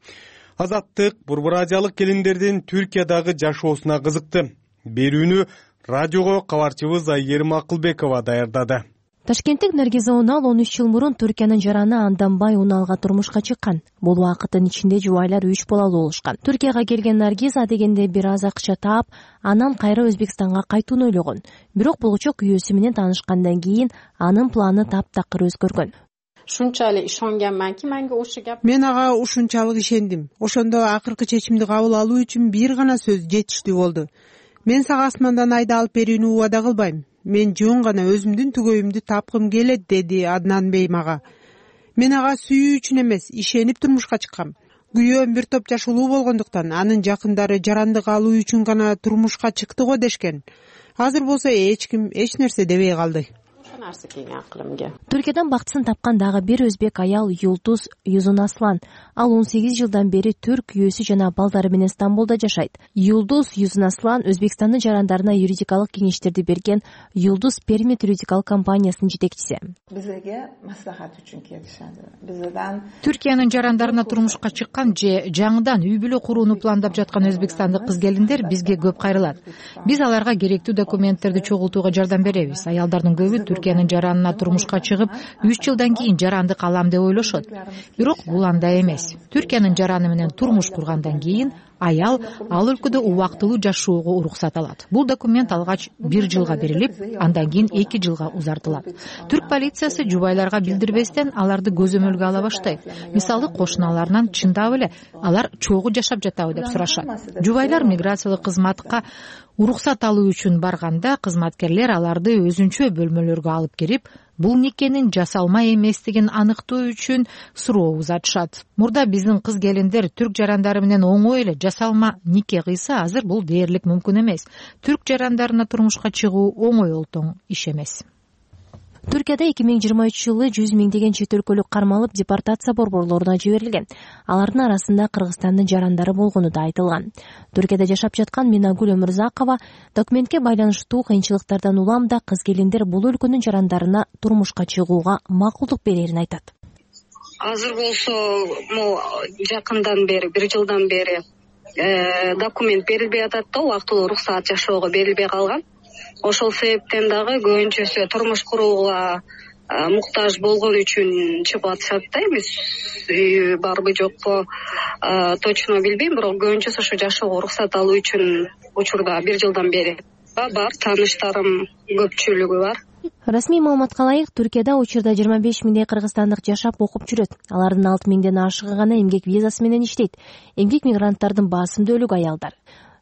Азаттык Борбор Азиялык келиндердин Түркиядагы жашоосуна кызыкты. Берүүнү радиого кабарчыбыз Айгерим Акылбекова даярдады. Ташкенттик Наргиза Унал 13 жыл мурун Түркиянын жараны Анданбай Уналга турмушка чыккан. Бул убакыттын ичинде жубайлар 3 балалуу болушкан. Түркияга келген Наргиза дегенде бир аз акча таап, анан кайра Өзбекстанга кайтууну ойлогон. Бирок булгучок күйөөсү менен таанышкандан кийин анын планы таптакыр өзгөргөн. Shunchalik ishonganmanki, menga o'sha gap. Men ага ушунчалык ишендим. Ошондо акыркы чечимди кабыл алуу үчүн бир гана сөз жетиштүү болду. Мен сага асмандан айда алып берүүнү убада кылбайм. Мен жөн гана өзүмдүн түгөйүмдү тапкым келет, деди Аднан Бей мага. Мен ага сүйүү үчүн эмес, ишенип турмушка чыккам. Күйөөм бир топ жаш улуу болгондуктан анын жакындары жарандык алуу үчүн гана турмушка чыкты го дешкен. Азыр болсо эч ким эч нерсе дебей калды. Түркиядан бактысын тапкан дагы бир өзбек аял Юлдуз Юзунаслан. Ал 18 жылдан бери түрк күйөөсү жана балдары менен Стамбулда жашайт. Юлдуз Юзунаслан Өзбекстандын жарандарына юридикалык кеңештерди берген Юлдуз Пермит юридикалык компаниясынын жетекчиси. Бизге маслахат үчүн келишет. Бизден Түркиянын жарандарына турмушка чыккан же жаңыдан үй бүлө курууну пландап жаткан өзбекстандык кыз келиндер бизге көп кайрылат. Биз аларга керектүү документтерди чогултууга жардам беребиз. Аялдардын көбү Түркиянын жаранына турмушка чыгып, 3 жылдан кийин жарандык алам деп ойлошот. Бирок бул андай эмес. Түркиянын жараны менен турмуш кургандан кийин аял ал өлкөдө убактылуу жашоого уруксат алат. Бул документ алгач 1 жылга берилип, андан кийин 2 жылга узартылат. Түрк полициясы жубайларга билдирбестен аларды көзөмөлгө ала баштайт. Мисалы кошуналарынан чындап эле алар чогуу жашап жатабы деп сурашат. Жубайлар миграциялык кызматка уруксат алуу үчүн барганда кызматкерлер аларды өзүнчө бөлмөлөргө алып кирип, бул никенин жасалма эместигин аныктоо үчүн суроо узатышат. Мурда биздин кыз келиндер түрк жарандары менен оңой эле жасалма нике кыйса, азыр бул дээрлик мүмкүн эмес. Түрк жарандарына турмушка чыгуу оңой олтоң иш эмес. Түркияда 2023 жылы 100 миңдеген чет өлкөлүк кармалып депортация борборлоруна жиберилген. Алардын арасында Кыргызстандын жарандары болгону да айтылган. Түркияда жашап жаткан Минагүл Өмүрзакова документке байланыштуу кыйынчылыктардан улам да кыз келиндер бул өлкөнүн жарандарына турмушка чыгууга макулдук берерин айтат. Азыр болсо, жакындан бери, 1 жылдан бери документ берилбей атат да, убактылуу уруксаат жашоого берилбей калган. Ошол себептен дагы көбүнчөсү турмуш курууга муктаж болгон үчүн чыгып атышат да, эмес барбы жокпу точно билбейм, бирок көбүнчөсү ошо жашоого уруксат алуу үчүн учурда 1 жылдан бери бар, тааныштарым көпчүлүгү бар. Расмий маалыматка ылайык, Түркияда учурда 25 миңдей кыргызстандык жашап окуп жүрөт. Алардын 6 миңден ашыгы гана эмгек визасы менен иштейт. Эмгек мигранттардын басымдуулугу аялдар.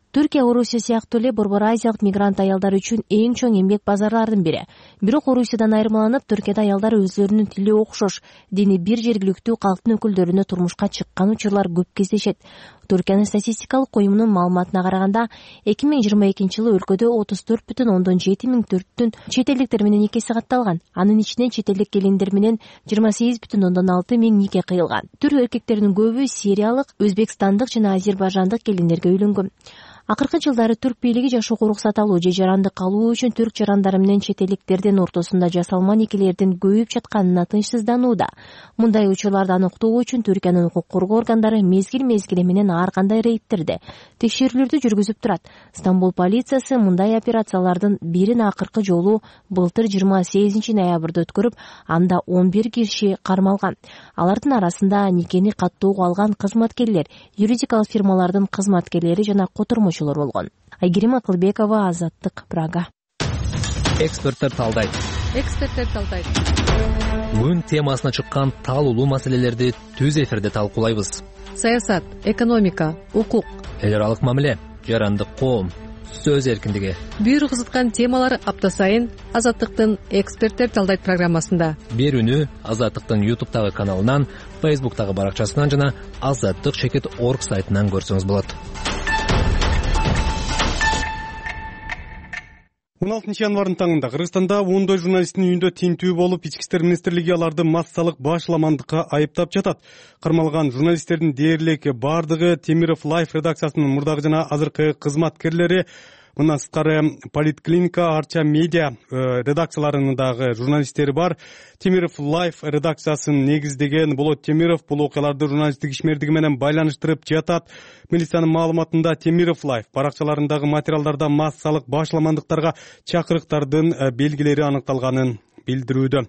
Түркия Орусия сыяктуу эле Борбор Азиялык мигрант аялдар үчүн эң чоң эмгек базарларынын бири. Бирок Орусиядан айырмаланып, Түркияда аялдар өзлөрүнүн тили окшош, дини бир жергиликтүү калктын өкүлдөрүнө турмушка чыккан учурлар көп кездешет. Түркиянын статистикалык коюмунун маалыматына караганда, 2022 жылы өлкөдө 34,7 миң түрктүн чет элдиктер менен никеси катталган. Анын ичинен чет элдик келиндер менен 28,6 миң нике кыйылган. Түрк эркектеринин көбү сириялык, өзбекстандык жана азербайжандык келиндерге үйлөнгөн. Акыркы жылдары түрк бийлиги жашоого уруксат алуу же жарандык алуу үчүн түрк жарандары менен чет элдиктердин ортосунда жасалма никелердин көбөйүп жатканына тынчсызданууда. Мындай учурларды аныктоо үчүн Түркиянын укук коргоо органдары мезгил менен ар кандай рейдтерди, текшерүүлөрдү жүргүзүп турат. Стамбул полициясы мындай операциялардын бирин акыркы жолу былтыр 28 ноябрда өткөрүп, анда 11 киши кармалган. Алардын арасында никени каттоого алган кызматкерлер, юридикалык фирмалардын кызматкерлери жана котормочу болгон. Айгерим Акылбекова, Азаттык, Прага. Эксперттер талдайт. Күн темасына чыккан талуулуу маселелерди түз эфирде талкуулайбыз. Саясат, экономика, укук, эл аралык мамиле, жарандык коом, сөз эркиндиги. Бир кызыткан темалар апта сайын Азаттыктын Эксперттер талдайт программасында. Берүүнү Азаттыктын YouTube'тагы каналынан, Facebook'тагы баракчасынан жана azattik.org сайтынан көрсөңүз болот. 16 январдын таңында Кыргызстанда ондой журналисттин үйүндө тинтүү болуп, Ички иштер министрлиги аларды массалык башламандыкка айыптап жатат. Кармалган журналисттердин дээрлик бардыгы Темиров Life редакциясынын мурдагы жана азыркы кызматкерлери, мындан сырткары Политклиника, Арча медиа редакцияларынын дагы журналисттери бар. Темиров Life редакциясын негиздеген Болот Темиров бул окуяларды журналисттик ишмердиги менен байланыштырып жатат. Милициянын маалыматында Темиров Life баракчаларындагы материалдарда массалык башламандыктарга чакырыктардын белгилери аныкталганын билдирүүдө.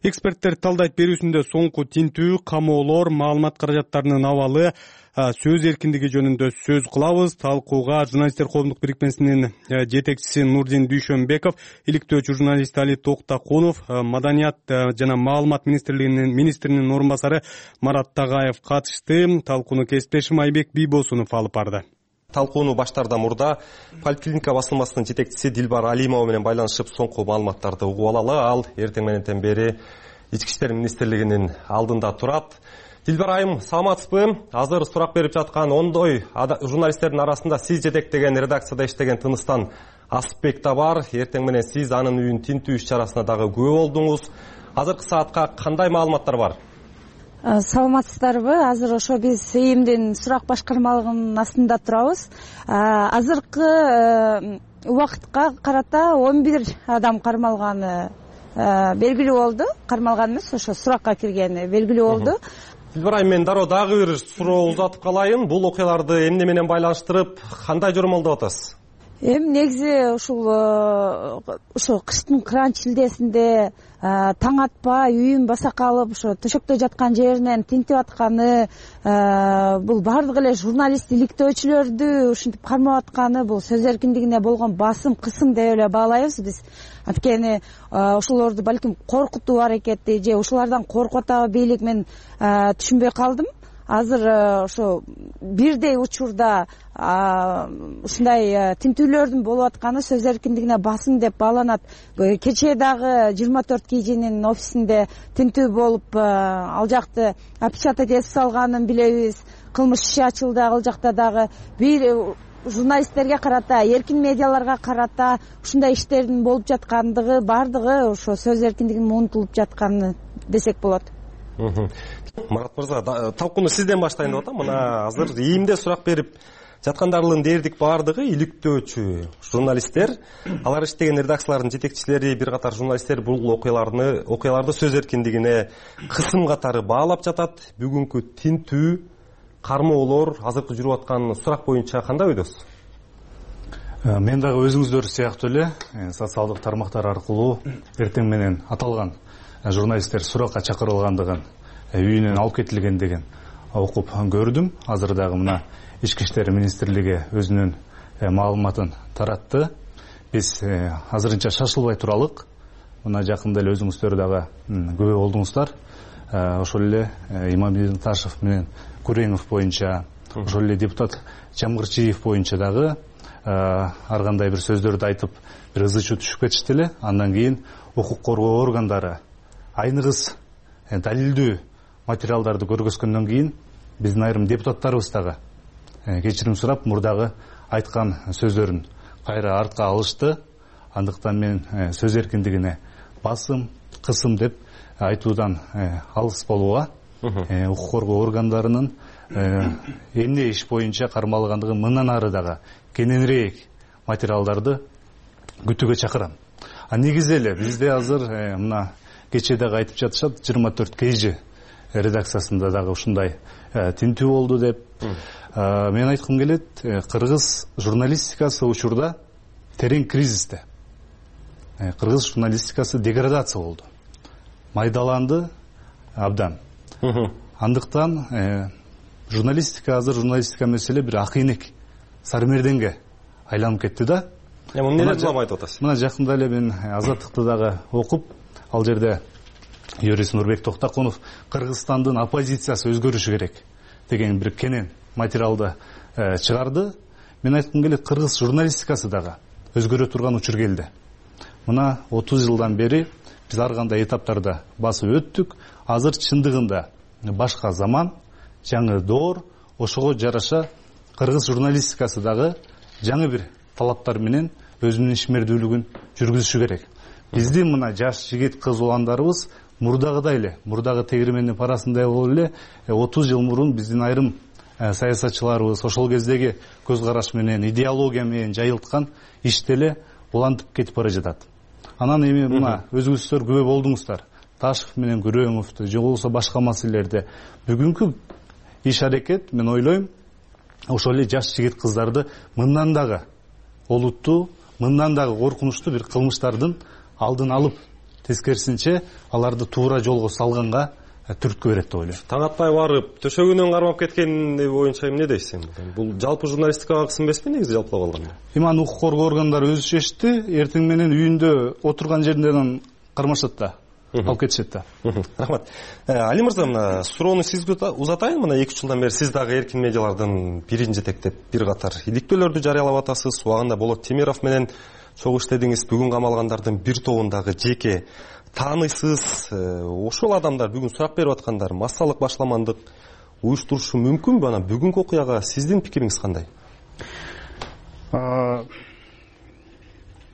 Эксперттер талдайт берүүсүндө соңку тинтүү, камоолор, маалымат каражаттарынын абалы, сөз эркиндиги жөнүндө сөз кылабыз. Талкууга журналисттер коомдук бирикмесинин жетекчиси Нурдин Дүйшөнбеков, иликтөөчү журналист Али Токтакунов, Маданият жана маалымат министринин орун басары Марат Тагаев катышты. Талкууну кесиптешим Айбек Бийбосунов алып барды. Талкууну баштаардан мурда Поликлиника басылмасынын жетекчиси Дилбар Алимова менен байланышып соңку маалыматтарды угуп алалы. Ал эртең мененден бери Ички иштер министрлигинин алдында турат. Дилбар айым, саламатсызбы? Азыр сурак берип жаткан ондой журналисттердин арасында сиз жетектеген редакцияда иштеген Тыныстан Асыпбек да бар. Эртең менен сиз анын үйүн тинтүү иш-чарасына дагы күбө болдуңуз. Азыркы саатка кандай маалыматтар бар? Саламатсыздарбы? Азыр ошо биз ИИМдин сурак башкармалыгынын астында турабыз. Азыркы убакытка карата 11 адам кармалганы белгилүү болду. Кармалган эмес, ошо суракка киргени белгилүү болду. Дилбар айым, мен дароо дагы бир суроо узатып калайын. Бул окуяларды эмне менен байланыштырып, кандай жормолдоп атасыз? Негизи ошо кыштын кыраан чилдесинде таң атпай үйүн басакка алып ошо төшөктө жаткан жеринен тинтип атканы, бул баардык эле журналист иликтөөчүлөрдү ушинтип кармап атканы бул сөз эркиндигине болгон басым, кысым деп эле баалайбыз биз. Анткени ошолорду балким коркутуу аракети же ушулардан коркуп атабы бийлик, мен түшүнбөй калдым. Азыр ошо бирдей учурда ушундай тинтүүлөрдүн болуп атканы сөз эркиндигине басым деп бааланат. Кечээ дагы 24 KG'нин офисинде тинтүү болуп, ал жакты опечатать этип салганын билебиз. Кылмыш иши ачылды ал жакта дагы. Бир журналисттерге карата, эркин медиаларга карата ушундай иштердин болуп жаткандыгы, баардыгы ошо сөз эркиндигинин унутулуп жатканы десек болот. Марат мырза, талкууну сизден баштайын деп атам. Мына азыр ИИМде сурак берип жаткандардын дээрлик баардыгы иликтөөчү журналисттер. Алар иштеген редакциялардын жетекчилери, бир катар журналисттер бул окуяларды сөз эркиндигине кысым катары баалап жатат. Бүгүнкү тинтүү, кармоолор, азыркы жүрүп аткан сурак боюнча кандай ойдосуз? Мен дагы өзүңүздөр сыяктуу эле социалдык тармактар аркылуу эртең менен аталган журналисттер суракка чакырылгандыгын, үйүнөн алып кетилгендигин окуп көрдүм. Азыр дагы мына Ички иштер министрлиги өзүнүн маалыматын таратты. Биз азырынча шашылбай туралык. Мына жакында эле өзүңүздөр дагы күбө болдуңуздар. Ошол эле Имамбек Ташев менен Күреңов боюнча, ошол эле депутат Жамгырчиев боюнча дагы ар кандай бир сөздөрдү айтып, бир ызы чуу түшүп кетишти эле. Андан кийин укук коргоо органдары айныгыс далилдүү материалдарды көргөзгөндөн кийин биздин айрым депутаттарыбыз дагы кечирим сурап мурдагы айткан сөздөрүн кайра артка алышты. Андыктан мен сөз эркиндигине басым, кысым деп айтуудан алыс болууга, укук коргоо органдарынын эмне иш боюнча кармалгандыгы мындан ары дагы кененирээк материалдарды күтүүгө чакырам. Негизи эле бизде азыр мына кечээ дагы айтып жатышат, 24 KG редакциясында дагы ушундай тинтүү болду деп. Мен айткым келет, кыргыз журналистикасы учурда терең кризисте. Кыргыз журналистикасы деградация болду. Майдаланды абдан. Андыктан журналистика азыр журналистика маселе бир акыйнек сармерденге айланып кетти да. Эмне деп айтып атасыз? Мына жакында эле мен Азаттыкты дагы окуп, ал жерде юрист Нурбек Токтакунов Кыргызстандын оппозициясы өзгөрүшү керек деген бир кенен материалды чыгарды. Мен айткым келет, кыргыз журналистикасы дагы өзгөрө турган учур келди. Мына 30 жылдан бери биз ар кандай этаптарда басып өттүк. Азыр чындыгында башка заман, жаңы доор, ошого жараша кыргыз журналистикасы дагы жаңы бир талаптар менен өзүнүн ишмердүүлүгүн жүргүзүшү керек. Биздин мына жаш жигит кыз уландарыбыз мурдагыдай эле, мурдагы тегирмендин парасындай болуп эле 30 жыл мурун биздин айрым саясатчыларыбыз ошол кездеги көз караш менен, идеология менен жайылткан ишти эле улантып кетип бара жатат. Анан эми мына өзүңүздөр күбө болдуңуздар. Ташев менен Күрөңовдү, же болбосо башка маселелерде бүгүнкү иш аракет, мен ойлойм, ошол эле жаш жигит кыздарды мындан дагы олуттуу, мындан дагы коркунучтуу бир кылмыштардын алдын алып тескерисинче аларды туура жолго салганга түрткү берет деп ойлойм. Таң атпай барып төшөгүнөн кармап кеткени боюнча эмне дейсиз? Бул жалпы журналистикага кызматпы негизи жалпылап алганда? Эми аны укук коргоо органдары өзү чечти. Эртең менен үйүндө отурган жеринен кармашат да, алып кетишет да. Рахмат. Али мырза, мына суроону сизге узатайын. Мына 2 жылдан бери сиз дагы эркин медиалардын бирин жетектеп бир катар иликтөөлөрдү жарыялап атасыз. Убагында Болот Темиров менен чогуу иштедиңиз. Бүгүн камалгандардын бир тобундагы жеке тааныйсыз. Ошол адамдар бүгүн сурак берип аткандар массалык башламандык уюштурушу мүмкүнбү? Анан бүгүнкү окуяга сиздин пикириңиз кандай?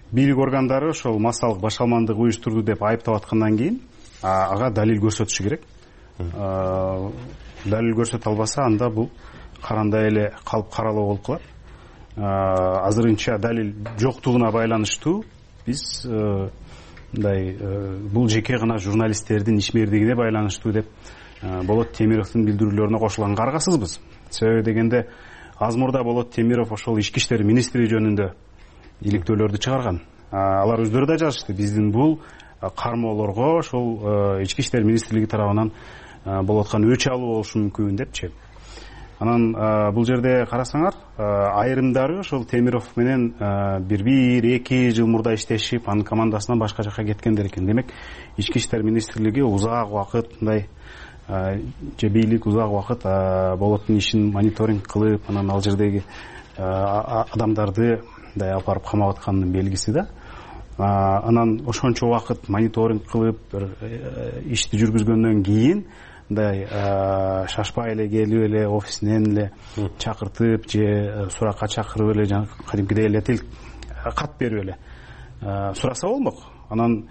Бийлик органдары ошол массалык башаламандык уюштурду деп айыптап аткандан кийин ага далил көрсөтүшү керек. Далил көрсөтө албаса, анда бул карандай эле калып каралоо болуп калат. Азырынча далил жоктугуна байланыштуу биз бул жеке гана журналисттердин ишмердигине байланыштуу деп Болот Темировдун билдирүүлөрүнө кошулганга аргасызбыз. Себеби дегенде аз мурда Болот Темиров ошол ички иштер министри жөнүндө иликтөөлөрдү чыгарган. Алар өздөрү да жазышты. Биздин бул кармоолорго ошол ички иштер министрлиги тарабынан болуп аткан өч алуу болушу мүмкүн депчи. Анан бул жерде карасаңар, айрымдары ошол Темиров менен 1-2 жыл мурда иштешип, анын командасынан башка жака кеткендер экен. Демек, ички иштер министрлиги узак убакыт мындай же бийлик узак убакыт Болоттун ишин мониторинг кылып, анан ал жердеги адамдарды мындай алып барып камап атканынын белгиси да. Анан ошончо убакыт мониторинг кылып, ишти жүргүзгөндөн кийин мындай шашпай эле келип эле офисинен эле чакыртып же суракка чакырып эле кадимкидей эле кат берип эле сураса болмок. Анан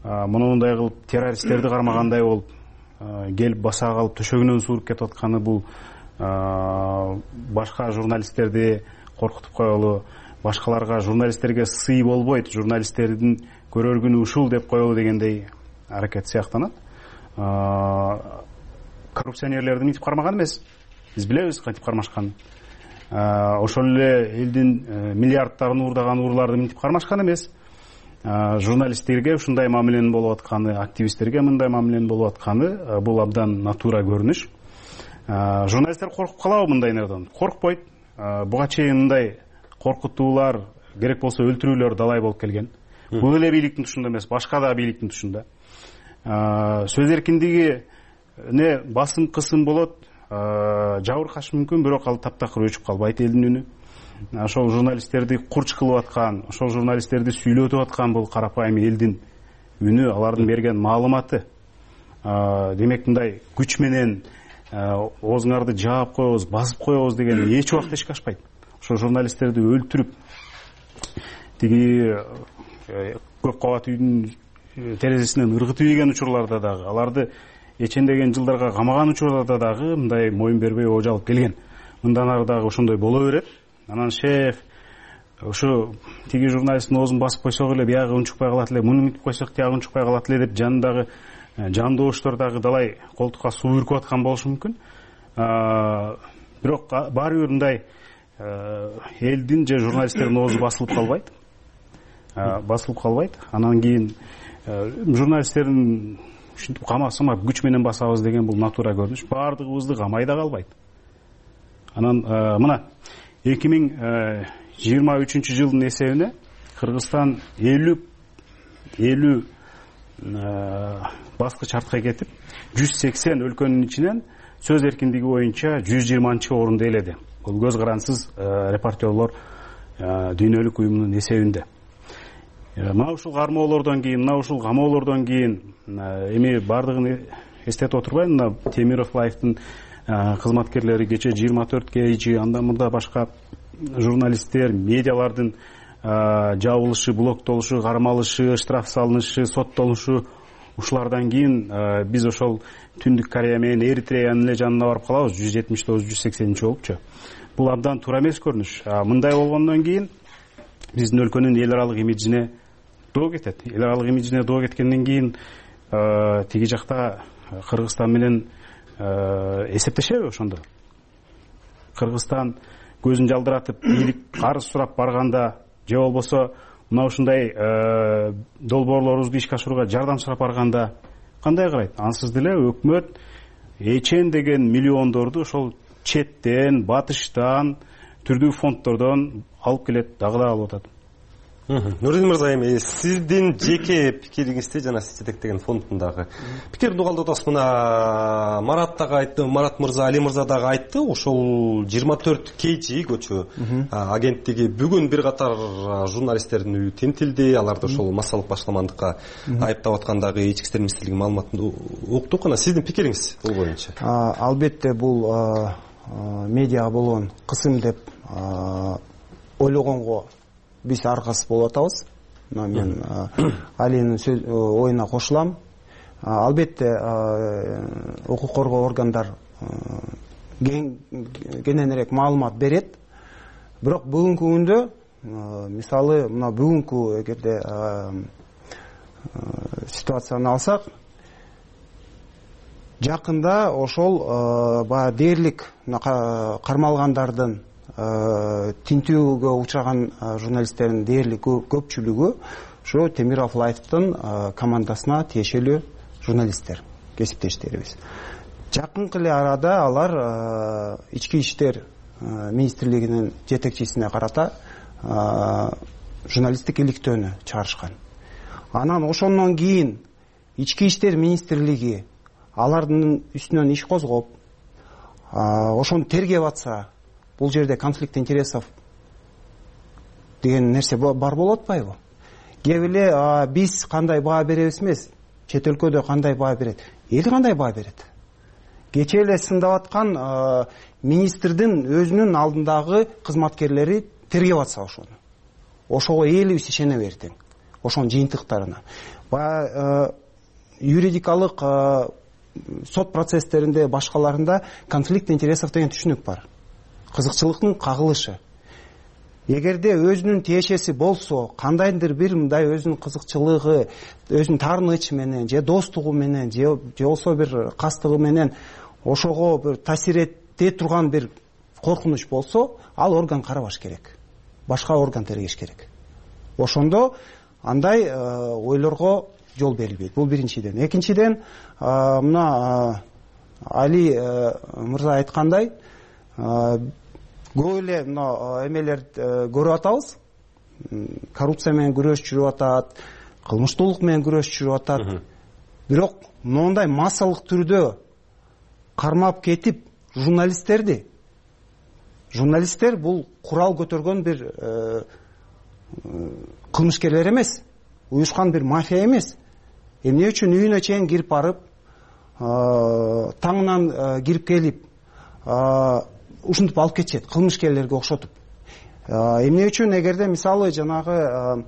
мындай кылып террористтерди кармагандай болуп келип баса калып төшөгүнөн сууруп кетип атканы бул башка журналисттерди коркутуп коелу, башкаларга журналисттерге сый болбойт, журналисттердин көрөр күнү ушул деп коелу дегендей аракет сыяктанат. Коррупционерлерди мынтип кармаган эмес. Биз билебиз кантип кармашканын. Ошол эле элдин миллиарддарын уурдаган урларды мынтип кармашкан эмес. Журналисттерге ушундай мамиленин болуп атканы, активисттерге мындай мамиленин болуп атканы бул абдан натура көрүнүш. Журналисттер коркуп калабы мындай нерден? Коркпойт. Буга чейин мындай коркутуулар, керек болсо өлтүрүүлөр далай болуп келген. Бул эле бийликтин тушунда эмес, башка да бийликтин тушунда. Сөз эркиндиги не басым кысым болот, жабыркашы мүмкүн, бирок ал таптакыр өчүп калбайт элдин үнү. Ошол журналисттерди курч кылып аткан, ошол журналисттерди сүйлөтүп аткан бул карапайым элдин үнү, алардын берген маалыматы. Демек мындай күч менен оозуңарды жаап коебуз, басып коебуз деген эч убакта эшикке ашпайт. Ошол журналисттерди өлтүрүп, тиги көп кабат үйдүн терезесинен ыргытып ийген учурларда дагы, аларды эчендеген жылдарга камаган учурларда дагы мындай моюн бербей оожалып келген. Мындан ары дагы ошондой боло берет. Анан шеф ушу тиги журналисттин оозун басып койсок эле биягы унчукпай калат эле, муну мынтип койсок тиягы унчукпай калат эле деп жанындагы жандооштор дагы далай колтукка суу бүркүп аткан болушу мүмкүн. Бирок баары бир мындай элдин же журналисттердин оозу басылып калбайт. Басылып калбайт. Анан кийин журналисттердин ушинтип камасамап күч менен басабыз деген бул натура көрүнүш. Баардыгыбызды камай да калбайт. Анан мына 2023 жылдын эсебине Кыргызстан 50 баскыч артка кетип, 180 өлкөнүн ичинен сөз эркиндиги боюнча 120-орунду ээледи. Бул көз карансыз репортерлор дүйнөлүк уюмунун эсебинде. Мына ушул кармоолордон кийин, мына ушул камоолордон кийин эми бардыгын эстетип отурбайм. Мына Темиров Лайфтын кызматкерлери кече 24 KG, андан мурда башка журналисттер, медиалардын жабылышы, блоктолушу, кармалышы, штраф салынышы, соттолушу, ушулардан кийин биз ошол Түндүк Корея менен Эритреянын эле жанына барып калабыз, 179-180 болупчу. Бул абдан туура эмес көрүнүш. Мындай болгондон кийин биздин өлкөнүн эл аралык имиджине доо кетет. Эл аралык имиджине доо кеткенден кийин тиги жакта Кыргызстан менен эсептешеби ошондо? Кыргызстан көзүн жалдыратып, бийлик карыз сурап барганда же болбосо мына ушундай долбоорлорубузду ишке ашырууга жардам сурап барганда кандай карайт? Ансыз деле өкмөт эчен деген миллиондорду ошол четтен, батыштан, түрдүү фонддордон алып келет, дагы да алып атат. Нурдин мырза, эми сиздин жеке пикириңизди жана сиз жетектеген фонддун дагы пикирин угалдып атабыз. Мына Марат дагы айтты, Марат мырза, Али мырза дагы айтты. Ошол 24 KG көчө агенттиги бүгүн бир катар журналисттердин үйү тинтилди. Аларды ошол массалык башкармандыкка айыптап аткандагы ички иштер министрлиги маалыматын уктук. Ана сиздин пикириңиз бул боюнча? Албетте бул медиага болгон кысым деп ойлогонго биз аркасы болуп атабыз. Мен Алинин оюна кошулам. Албетте укук коргоо органдар кененирээк маалымат берет. Бирок бүгүнкү күндө, мисалы, мына бүгүнкү эгерде ситуацияны алсак, жакында ошол баягы дээрлик кармалгандардын тинтүүгө учураган журналисттердин дээрлик көпчүлүгү ошо Темиров Лайфтын командасына тиешелүү журналисттер, кесиптештерибиз. Жакынкы эле арада алар ички иштер министрлигинин жетекчисине карата журналисттик иликтөөнү чыгарышкан. Анан ошондон кийин ички иштер министрлиги алардын үстүнөн иш козгоп, ошону тергеп атса, бул жерде конфликт интересов деген нерсе бар болуп атпайбы? Кеп эле биз кандай баа беребиз эмес, чет өлкөдө кандай баа берет, эл кандай баа берет? Кечээ эле сындап аткан министрдин өзүнүн алдындагы кызматкерлери тергеп атса ошого элибиз ишене бердиң, ошонун жыйынтыктарына. Баягы юридикалык сот процесстеринде, башкаларында конфликт интересов деген түшүнүк бар. Кызыкчылыктын кагылышы. Эгерде өзүнүн тиешеси болсо, кандайдыр бир мындай өзүнүн кызыкчылыгы, өзүнүн таарынычы менен, же достугу менен, же болсо бир кастыгы менен ошого бир таасир эте турган бир коркунуч болсо, ал орган карабаш керек. Башка орган тергеш керек. Ошондо андай ойлорго жол берилбейт. Бул биринчиден. Экинчиден, мына Али мырза айткандай, көп эле мына эмелерди көрүп атабыз. Коррупция менен күрөш жүрүп атат, кылмыштуулук менен күрөш жүрүп атат. Бирок моундай массалык түрдө кармап кетип журналисттер бул курал көтөргөн бир кылмышкерлер эмес, уюшкан бир мафия эмес. Эмне үчүн үйүнө чейин кирип барып, таңынан кирип келип, ушинтип алып кетишет, кылмышкерлерге окшотуп. Эмне үчүн эгерде мисалы жанагы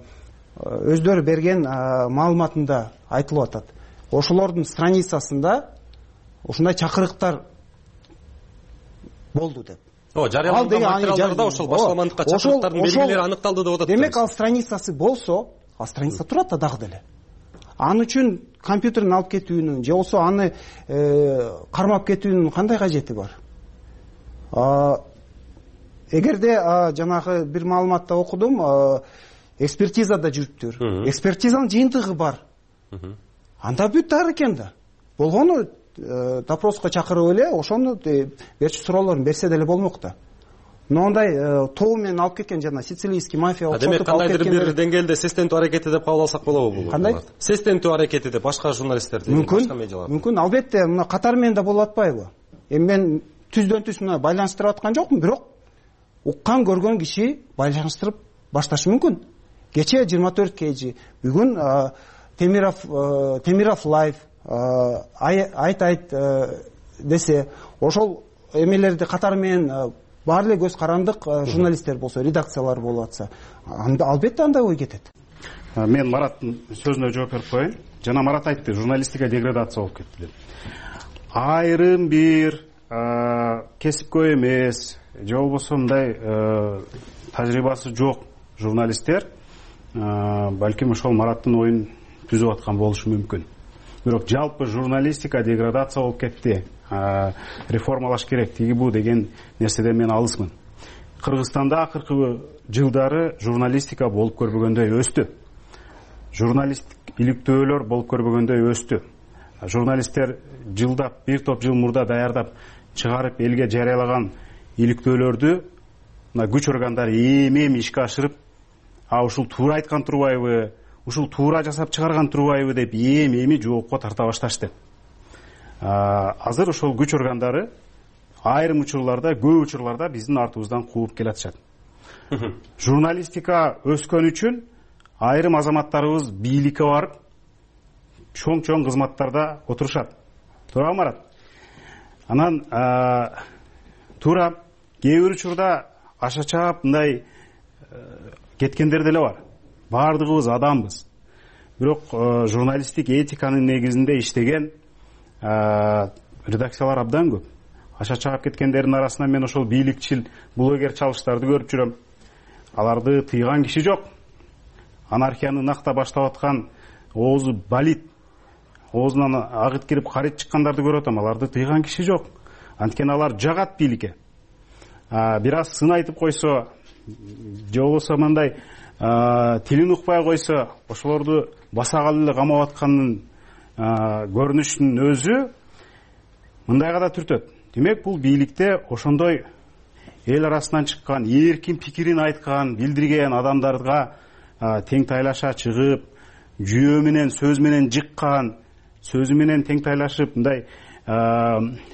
өздөрү берген маалыматында айтылып атат. Ошолордун страницасында ушундай чакырыктар болду деп. Жарыяланган материалдарда ошол башкармандыкка чакырыктардын белгилери аныкталды деп атат. Демек ал страницасы болсо, ал страница турат да дагы деле. Аны үчүн компьютерин алып кетүүнүн, же болсо аны кармап кетүүнүн кандай кажети бар? Эгерде жанагы бир маалыматта окудум, экспертизада жүрүптүр. Экспертизанын жыйынтыгы бар. Анда бүт ар экен да. Болгону допроска чакырып эле ошону берчү суроолорун берсе деле болмок да. Моундай тобу менен алып кеткен жана сицилийский мафия окшотуп алып кеткен. Демек кандайдыр бир деңгээлде сестентүү аракети деп кабыл алсак болобу бул? Кандай? Сестентүү аракети деп башка журналисттерди, башка медиаларды. Мүмкүн, албетте, мына катар менен да болуп атпайбы? Эми мен түздөн-түз мына байланыштырып аткан жокмун, бирок уккан көргөн киши байланыштырып башташы мүмкүн. Кечээ 24 KG, бүгүн Темиров Лайф айт десе, ошол эмелерди катар менен баары эле көз карандык журналисттер болсо, редакциялар болуп атса, албетте андай ой кетет. Мен Мараттын сөзүнө жооп берип коеюн. Жана Марат айтты, журналистика деградация болуп кетти деп. Айрым бир кесипкөй эмес, же болбосо мындай тажрыйбасы жок журналисттер балким ошол Мараттын оюн түзүп аткан болушу мүмкүн. Бирок жалпы журналистика деградация болуп кетти, реформалаш керек, тиги бу деген нерседен мен алысмын. Кыргызстанда акыркы жылдары журналистика болуп көрбөгөндөй өстү. Журналисттик иликтөөлөр болуп көрбөгөндөй өстү. Журналисттер жылдап, бир топ жыл мурда даярдап чыгарып элге жарыялаган иликтөөлөрдү мына күч органдары эми ишке ашырып, ушул туура айткан турбайбы, ушул туура жасап чыгарган турбайбы деп эми жоопко тарта башташты. Азыр ошол күч органдары айрым учурларда, көп учурларда биздин артыбыздан кууп келатышат. Журналистика өскөн үчүн айрым азаматтарыбыз бийликке барып, чоң кызматтарда отурушат. Туурабы, Марат? Анан туура кээ бир учурда аша чаап мындай кеткендер деле бар. Баардыгыбыз адамбыз. Бирок журналисттик этиканын негизинде иштеген редакциялар абдан көп. Аша чаап кеткендердин арасынан мен ошол бийликчил, блогер чалыштарды көрүп жүрөм. Аларды тыйган киши жок. Анархияны накта баштап аткан, оозу балит, оозунан агыт кирип карит чыккандарды көрүп атам. Аларды тыйган киши жок. Анткени алар жагат бийликке. Бир аз сын айтып койсо, же болбосо мындай тилин укпай койсо, ошолорду басагалы эле камап атканын көрүнүшүнүн өзү мындайга да түртөт. Демек, бул бийликте ошондой эл арасынан чыккан, эркин пикирин айткан, билдирген адамдарга тең тайлаша чыгып, жүйө менен, сөз менен жыккан, сөзү менен тең тайлашып, мындай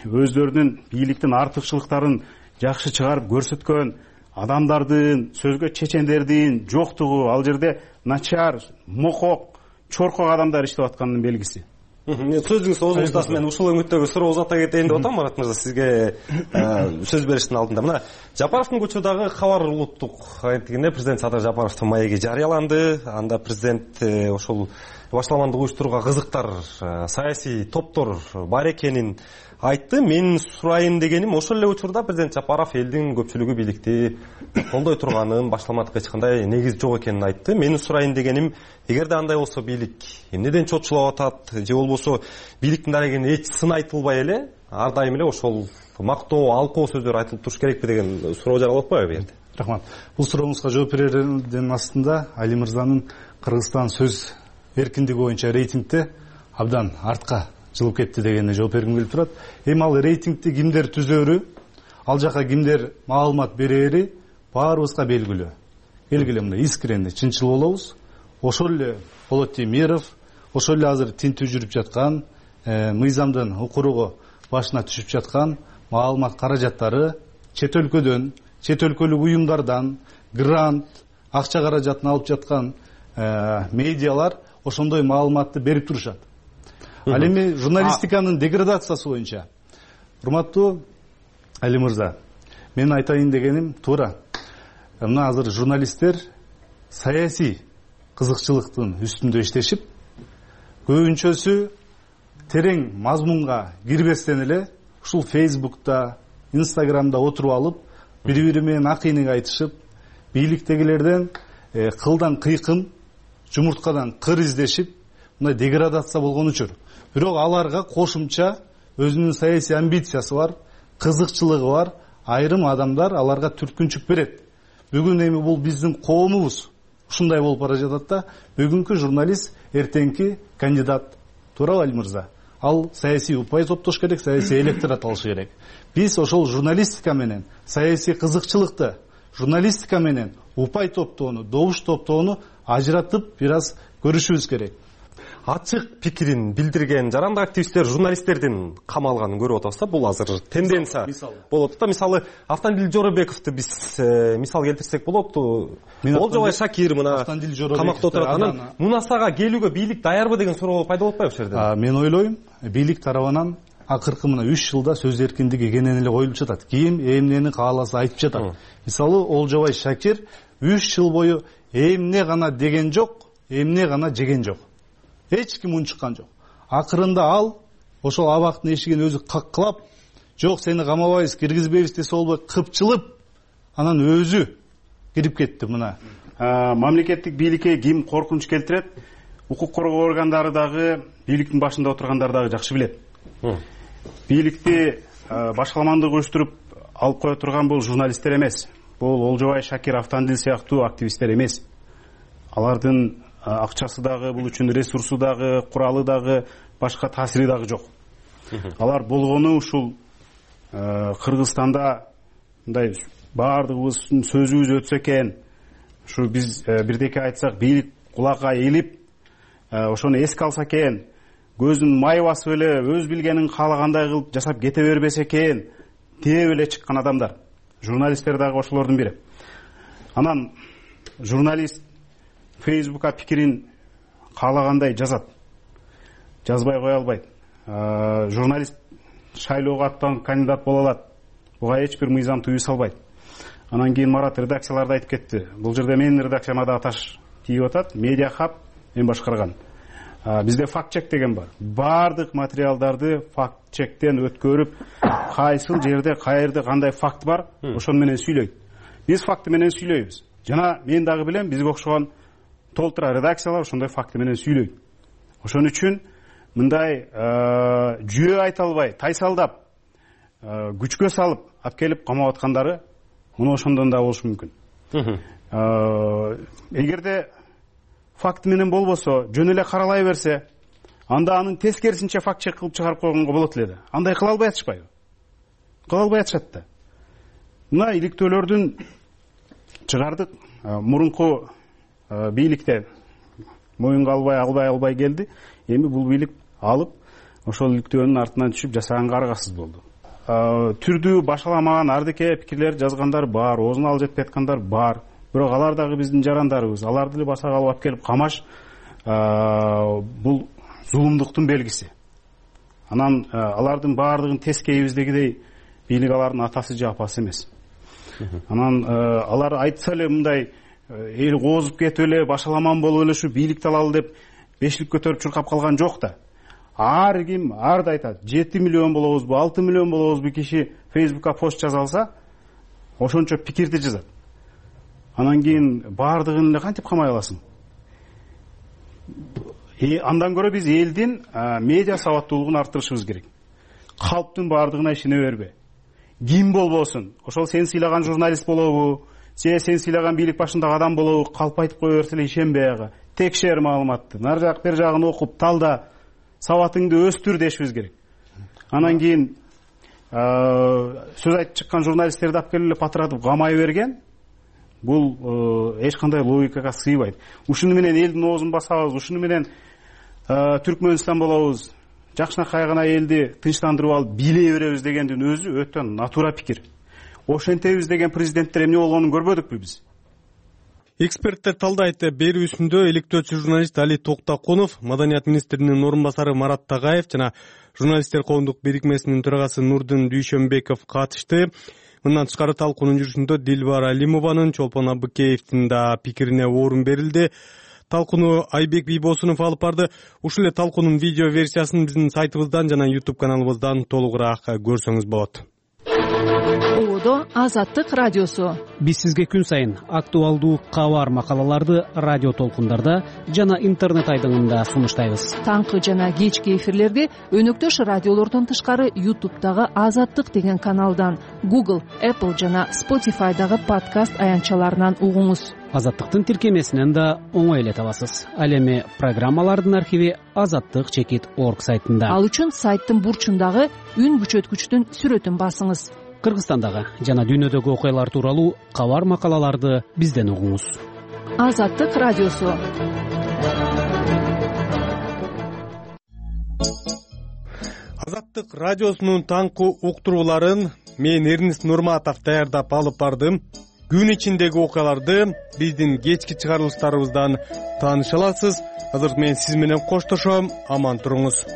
өздөрүнүн бийликтин артыкчылыктарын жакшы чыгарып көрсөткөн адамдардын, сөзгө чечендердин жоктугу ал жерде начар, мокок, чоркок адамдар иштеп атканынын белгиси. Сөзүңүз озун устасы, мен ушул өңүттөгү суроо узата кетейин деп атам, Марат мырза, сизге сөз бериштин алдында. Мына Жапаровдун көчөдөгү кабар улуттук агенттигинде президент Садыр Жапаровдун маеги жарыяланды. Анда президент ошол башаламандык уюштурууга кызыктар, саясий топтор бар экенин айтты. Мен сурайын дегеним, ошол эле учурда президент Жапаров элдин көпчүлүгү бийликти колдой турганын, башаламандыкка эч кандай негиз жок экенин айтты. Менин сурайын дегеним, эгерде андай болсо бийлик эмнеден чочулап атат, же болбосо бийликтин дарегинен эч сын айтылбай эле, ар дайым эле ошол мактоо, алкоо сөздөр айтылып туруш керекпи деген суроо жаралып атпайбы бу жерде? Рахмат. Бул сурооңузга жооп берердин астында Али мырзанын Кыргызстан сөз эркиндиги боюнча рейтингде абдан артка жылып кетти дегенине жооп бергим келип турат. Эми ал рейтингти кимдер түзөрү, ал жака кимдер маалымат берери баарыбызга белгилүү. Белгилүү, мындай искренне, чынчыл болобуз. Ошол эле Болот Темиров, ошол эле азыр тинтүү жүрүп жаткан, мыйзамдын укуругу башына түшүп жаткан маалымат каражаттары чет өлкөдөн, чет өлкөлүк уюмдардан грант, акча каражатын алып жаткан медиалар ошондой маалыматты берип турушат. Ал эми журналистиканын деградациясы боюнча, урматтуу Али мырза, мен айтайын дегеним туура. Мына азыр журналисттер саясий кызыкчылыктын үстүндө иштешип, көбүнчөсү терең мазмунга кирбестен эле ушул Фейсбукта, Инстаграмда отуруп алып, бири-бири менен акыйныг айтышып, бийликтегилерден кылдан кыйкым, жумурткадан кыр издешип, мындай деградация болгон учур. Бирок аларга кошумча өзүнүн саясий амбициясы бар, кызыкчылыгы бар, айрым адамдар аларга түрткүнчүк берет. Бүгүн эми бул биздин коомубуз ушундай болуп бара жатат да, бүгүнкү журналист эртеңки кандидат. Туурабы, Али мырза? Ал саясий упай топтош керек, саясий электорат алыш керек. Биз ошол журналистика менен саясий кызыкчылыкты, журналистика менен упай топтоону, добуш топтоону ажыратып бир аз көрүшүбүз керек. Ачык пикирин билдирген жарандык активисттер журналисттердин камалганын көрүп атабыз да, бул азыр тенденция болот да. Мисалы Автандил Жоробековду биз мисал келтирсек болот. Олжобай Шакир мына камакта отурат. Анан Мунасага келүүгө бийлик даярбы деген суроо пайда болуп атпайбы ушул жерде? Мен ойлойм, бийлик тарабынан акыркы мына 3 жылда сөз эркиндиги кенен эле коюлуп жатат. Ким эмнени кааласа айтып жатат. Мисалы Олжобай Шакир 3 жыл бою эмне гана деген жок, эмне гана жеген жок. Эч ким унчуккан жок. Акырында ал ошол абактын эшигин өзү каккылап, жок сени камабайбыз, киргизбейбиз десе болбой кыпчылып, анан өзү кирип кетти. Мына мамлекеттик бийликке ким коркунуч келтирет? Укук коргоо органдары дагы, бийликтин башында отургандар дагы жакшы билет. Бийликти башаламандык уюштуруп алып кое турган бул журналисттер эмес. бул Олжобай Шакир Автандил сыяктуу активисттер эмес. Алардын акчасы дагы, бул үчүн ресурсу дагы, куралы дагы, башка таасири дагы жок. Алар болгону ушул Кыргызстанда мындай баардыгыбыздын сөзүбүз өтсө экен, ушу биз бирдеке айтсак бийлик кулакка элип, ошону эске алса экен, көзүн май басып эле өз билгенин каалагандай кылып жасап кете бербесе экен деп эле чыккан адамдар. Журналисттер дагы ошолордун бири. Анан журналист Фейсбукка пикирин каалагандай жазат, жазбай кое албайт. Журналист шайлоого аттанып кандидат боло алат, буга эч бир мыйзам тыюу салбайт. Анан кийин Марат редакцияларда айтып кетти. Бул жерде менин редакцияма дагы таш тийип атат. Медиа хаб мен башкарган. Бизде факт чек деген бар. Баардык материалдарды факт чектен өткөрүп, кайсыл жерде, каерде кандай факт бар, ошону менен сүйлөйт. Биз факты менен сүйлөйбүз. Жана мен дагы билем, бизге окшогон толтура редакциялар ошондой факты менен сүйлөйт. Ошон үчүн мындай жүйө айта албай, тайсалдап, күчкө салып алып келип камап аткандары муну ошондон да болушу мүмкүн. Эгерде факт менен болбосо, жөн эле каралай берсе, анда анын тескерисинче факт чек кылып чыгарып койгонго болот эле да. Андай кыла албай атышпайбы? Кыла албай атышат да. Мына иликтөөлөрдүн чыгардык. Мурунку бийликте моюнга албай келди. Эми бул бийлик алып, ошол иликтөөнүн артынан түшүп жасаганга аргасыз болду. Түрдүү башаламаган ардеке пикирлер жазгандар бар, оозуна алып жетпей аткандар бар. Бирок алар дагы биздин жарандарыбыз. Аларды эле басага алып келип камаш бул зулумдуктун белгиси. Анан алардын баардыгын тескейибиздегидей бийлик алардын атасы же апасы эмес. Анан алар айтса эле мындай эл коозуп кетип эле, башаламан болуп эле ушу бийликти алалы деп бешлик көтөрүп чуркап калган жок да. Ар ким арда айтат. 7 миллион болобузбу, 6 миллион болобузбу киши Фейсбукка пост жаза алса, ошончо пикирди жазат. Анан кийин баардыгын эле кантип камай аласың? Андан көрө биз элдин медиа сабаттуулугун арттырышыбыз керек. Калптын баардыгына ишене бербе. Ким болбосун, ошол сен сыйлаган журналист болобу, сен сыйлаган бийлик башындагы адам болобу, калп айтып кое берсе эле ишенбей ага. Текшер маалыматты, нар жак бер жагын окуп, талда, сабатыңды өстүр дешибиз керек. Анан кийин сөз айтып чыккан журналисттерди алып келип эле патыратып камай берген, бул эч кандай логикага сыйбайт. Ушуну менен элдин оозун басабыз, ушуну менен Түркмөнстан болобуз, жакшынакай гана элди тынчтандырып алып бийлей беребиз дегендин өзү өтө натура пикир. Ошентебиз деген президенттер эмне болгонун көрбөдүкпү биз? Эксперттер талдайт. Берүүсүндө иликтөөчү журналист Али Токтакунов, Маданият министринин орун басары Марат Тагаев жана журналисттер коомдук бирикмесинин төрагасы Нурдын Дүйшөнбеков катышты. Мындан тышкары талкуунун жүрүшүндө Дилбар Алимованын, Чолпон Абыкеевдин да пикирине орун берилди. Талкууну Айбек Бийбосунов алып барды. Ушул эле талкуунун видео версиясын биздин сайтыбыздан жана YouTube каналыбыздан толугураак көрсөңүз болот. Оодо Азаттык радиосу. Биз сизге күн сайын актуалдуу кабар макалаларды радио толкундарда жана интернет айдыңында сунуштайбыз. Таңкы жана кечки эфирлерди өнөктөш радиолордон тышкары YouTube'дагы Азаттык деген каналдан, Google, Apple жана Spotify'дагы подкаст аянтчаларынан угуңуз. Азаттыктын тиркемесинен да оңой эле табасыз. Ал эми программалардын архиви azattik.org сайтында. Ал үчүн сайттын бурчундагы үн күчөткүчтүн сүрөтүн басыңыз. Кыргызстандагы жана дүйнөдөгү окуялар тууралуу кабар макалаларды бизден угуңуз. Азаттык радиосу. Азаттык радиосунун таңкы уктурууларын мен Эрнист Нурматов даярдап алып бардым. Күн ичиндеги окуяларды биздин кечки чыгарылыштарыбыздан тааныша аласыз. Азыр мен сиз менен коштошом. Аман туруңуз.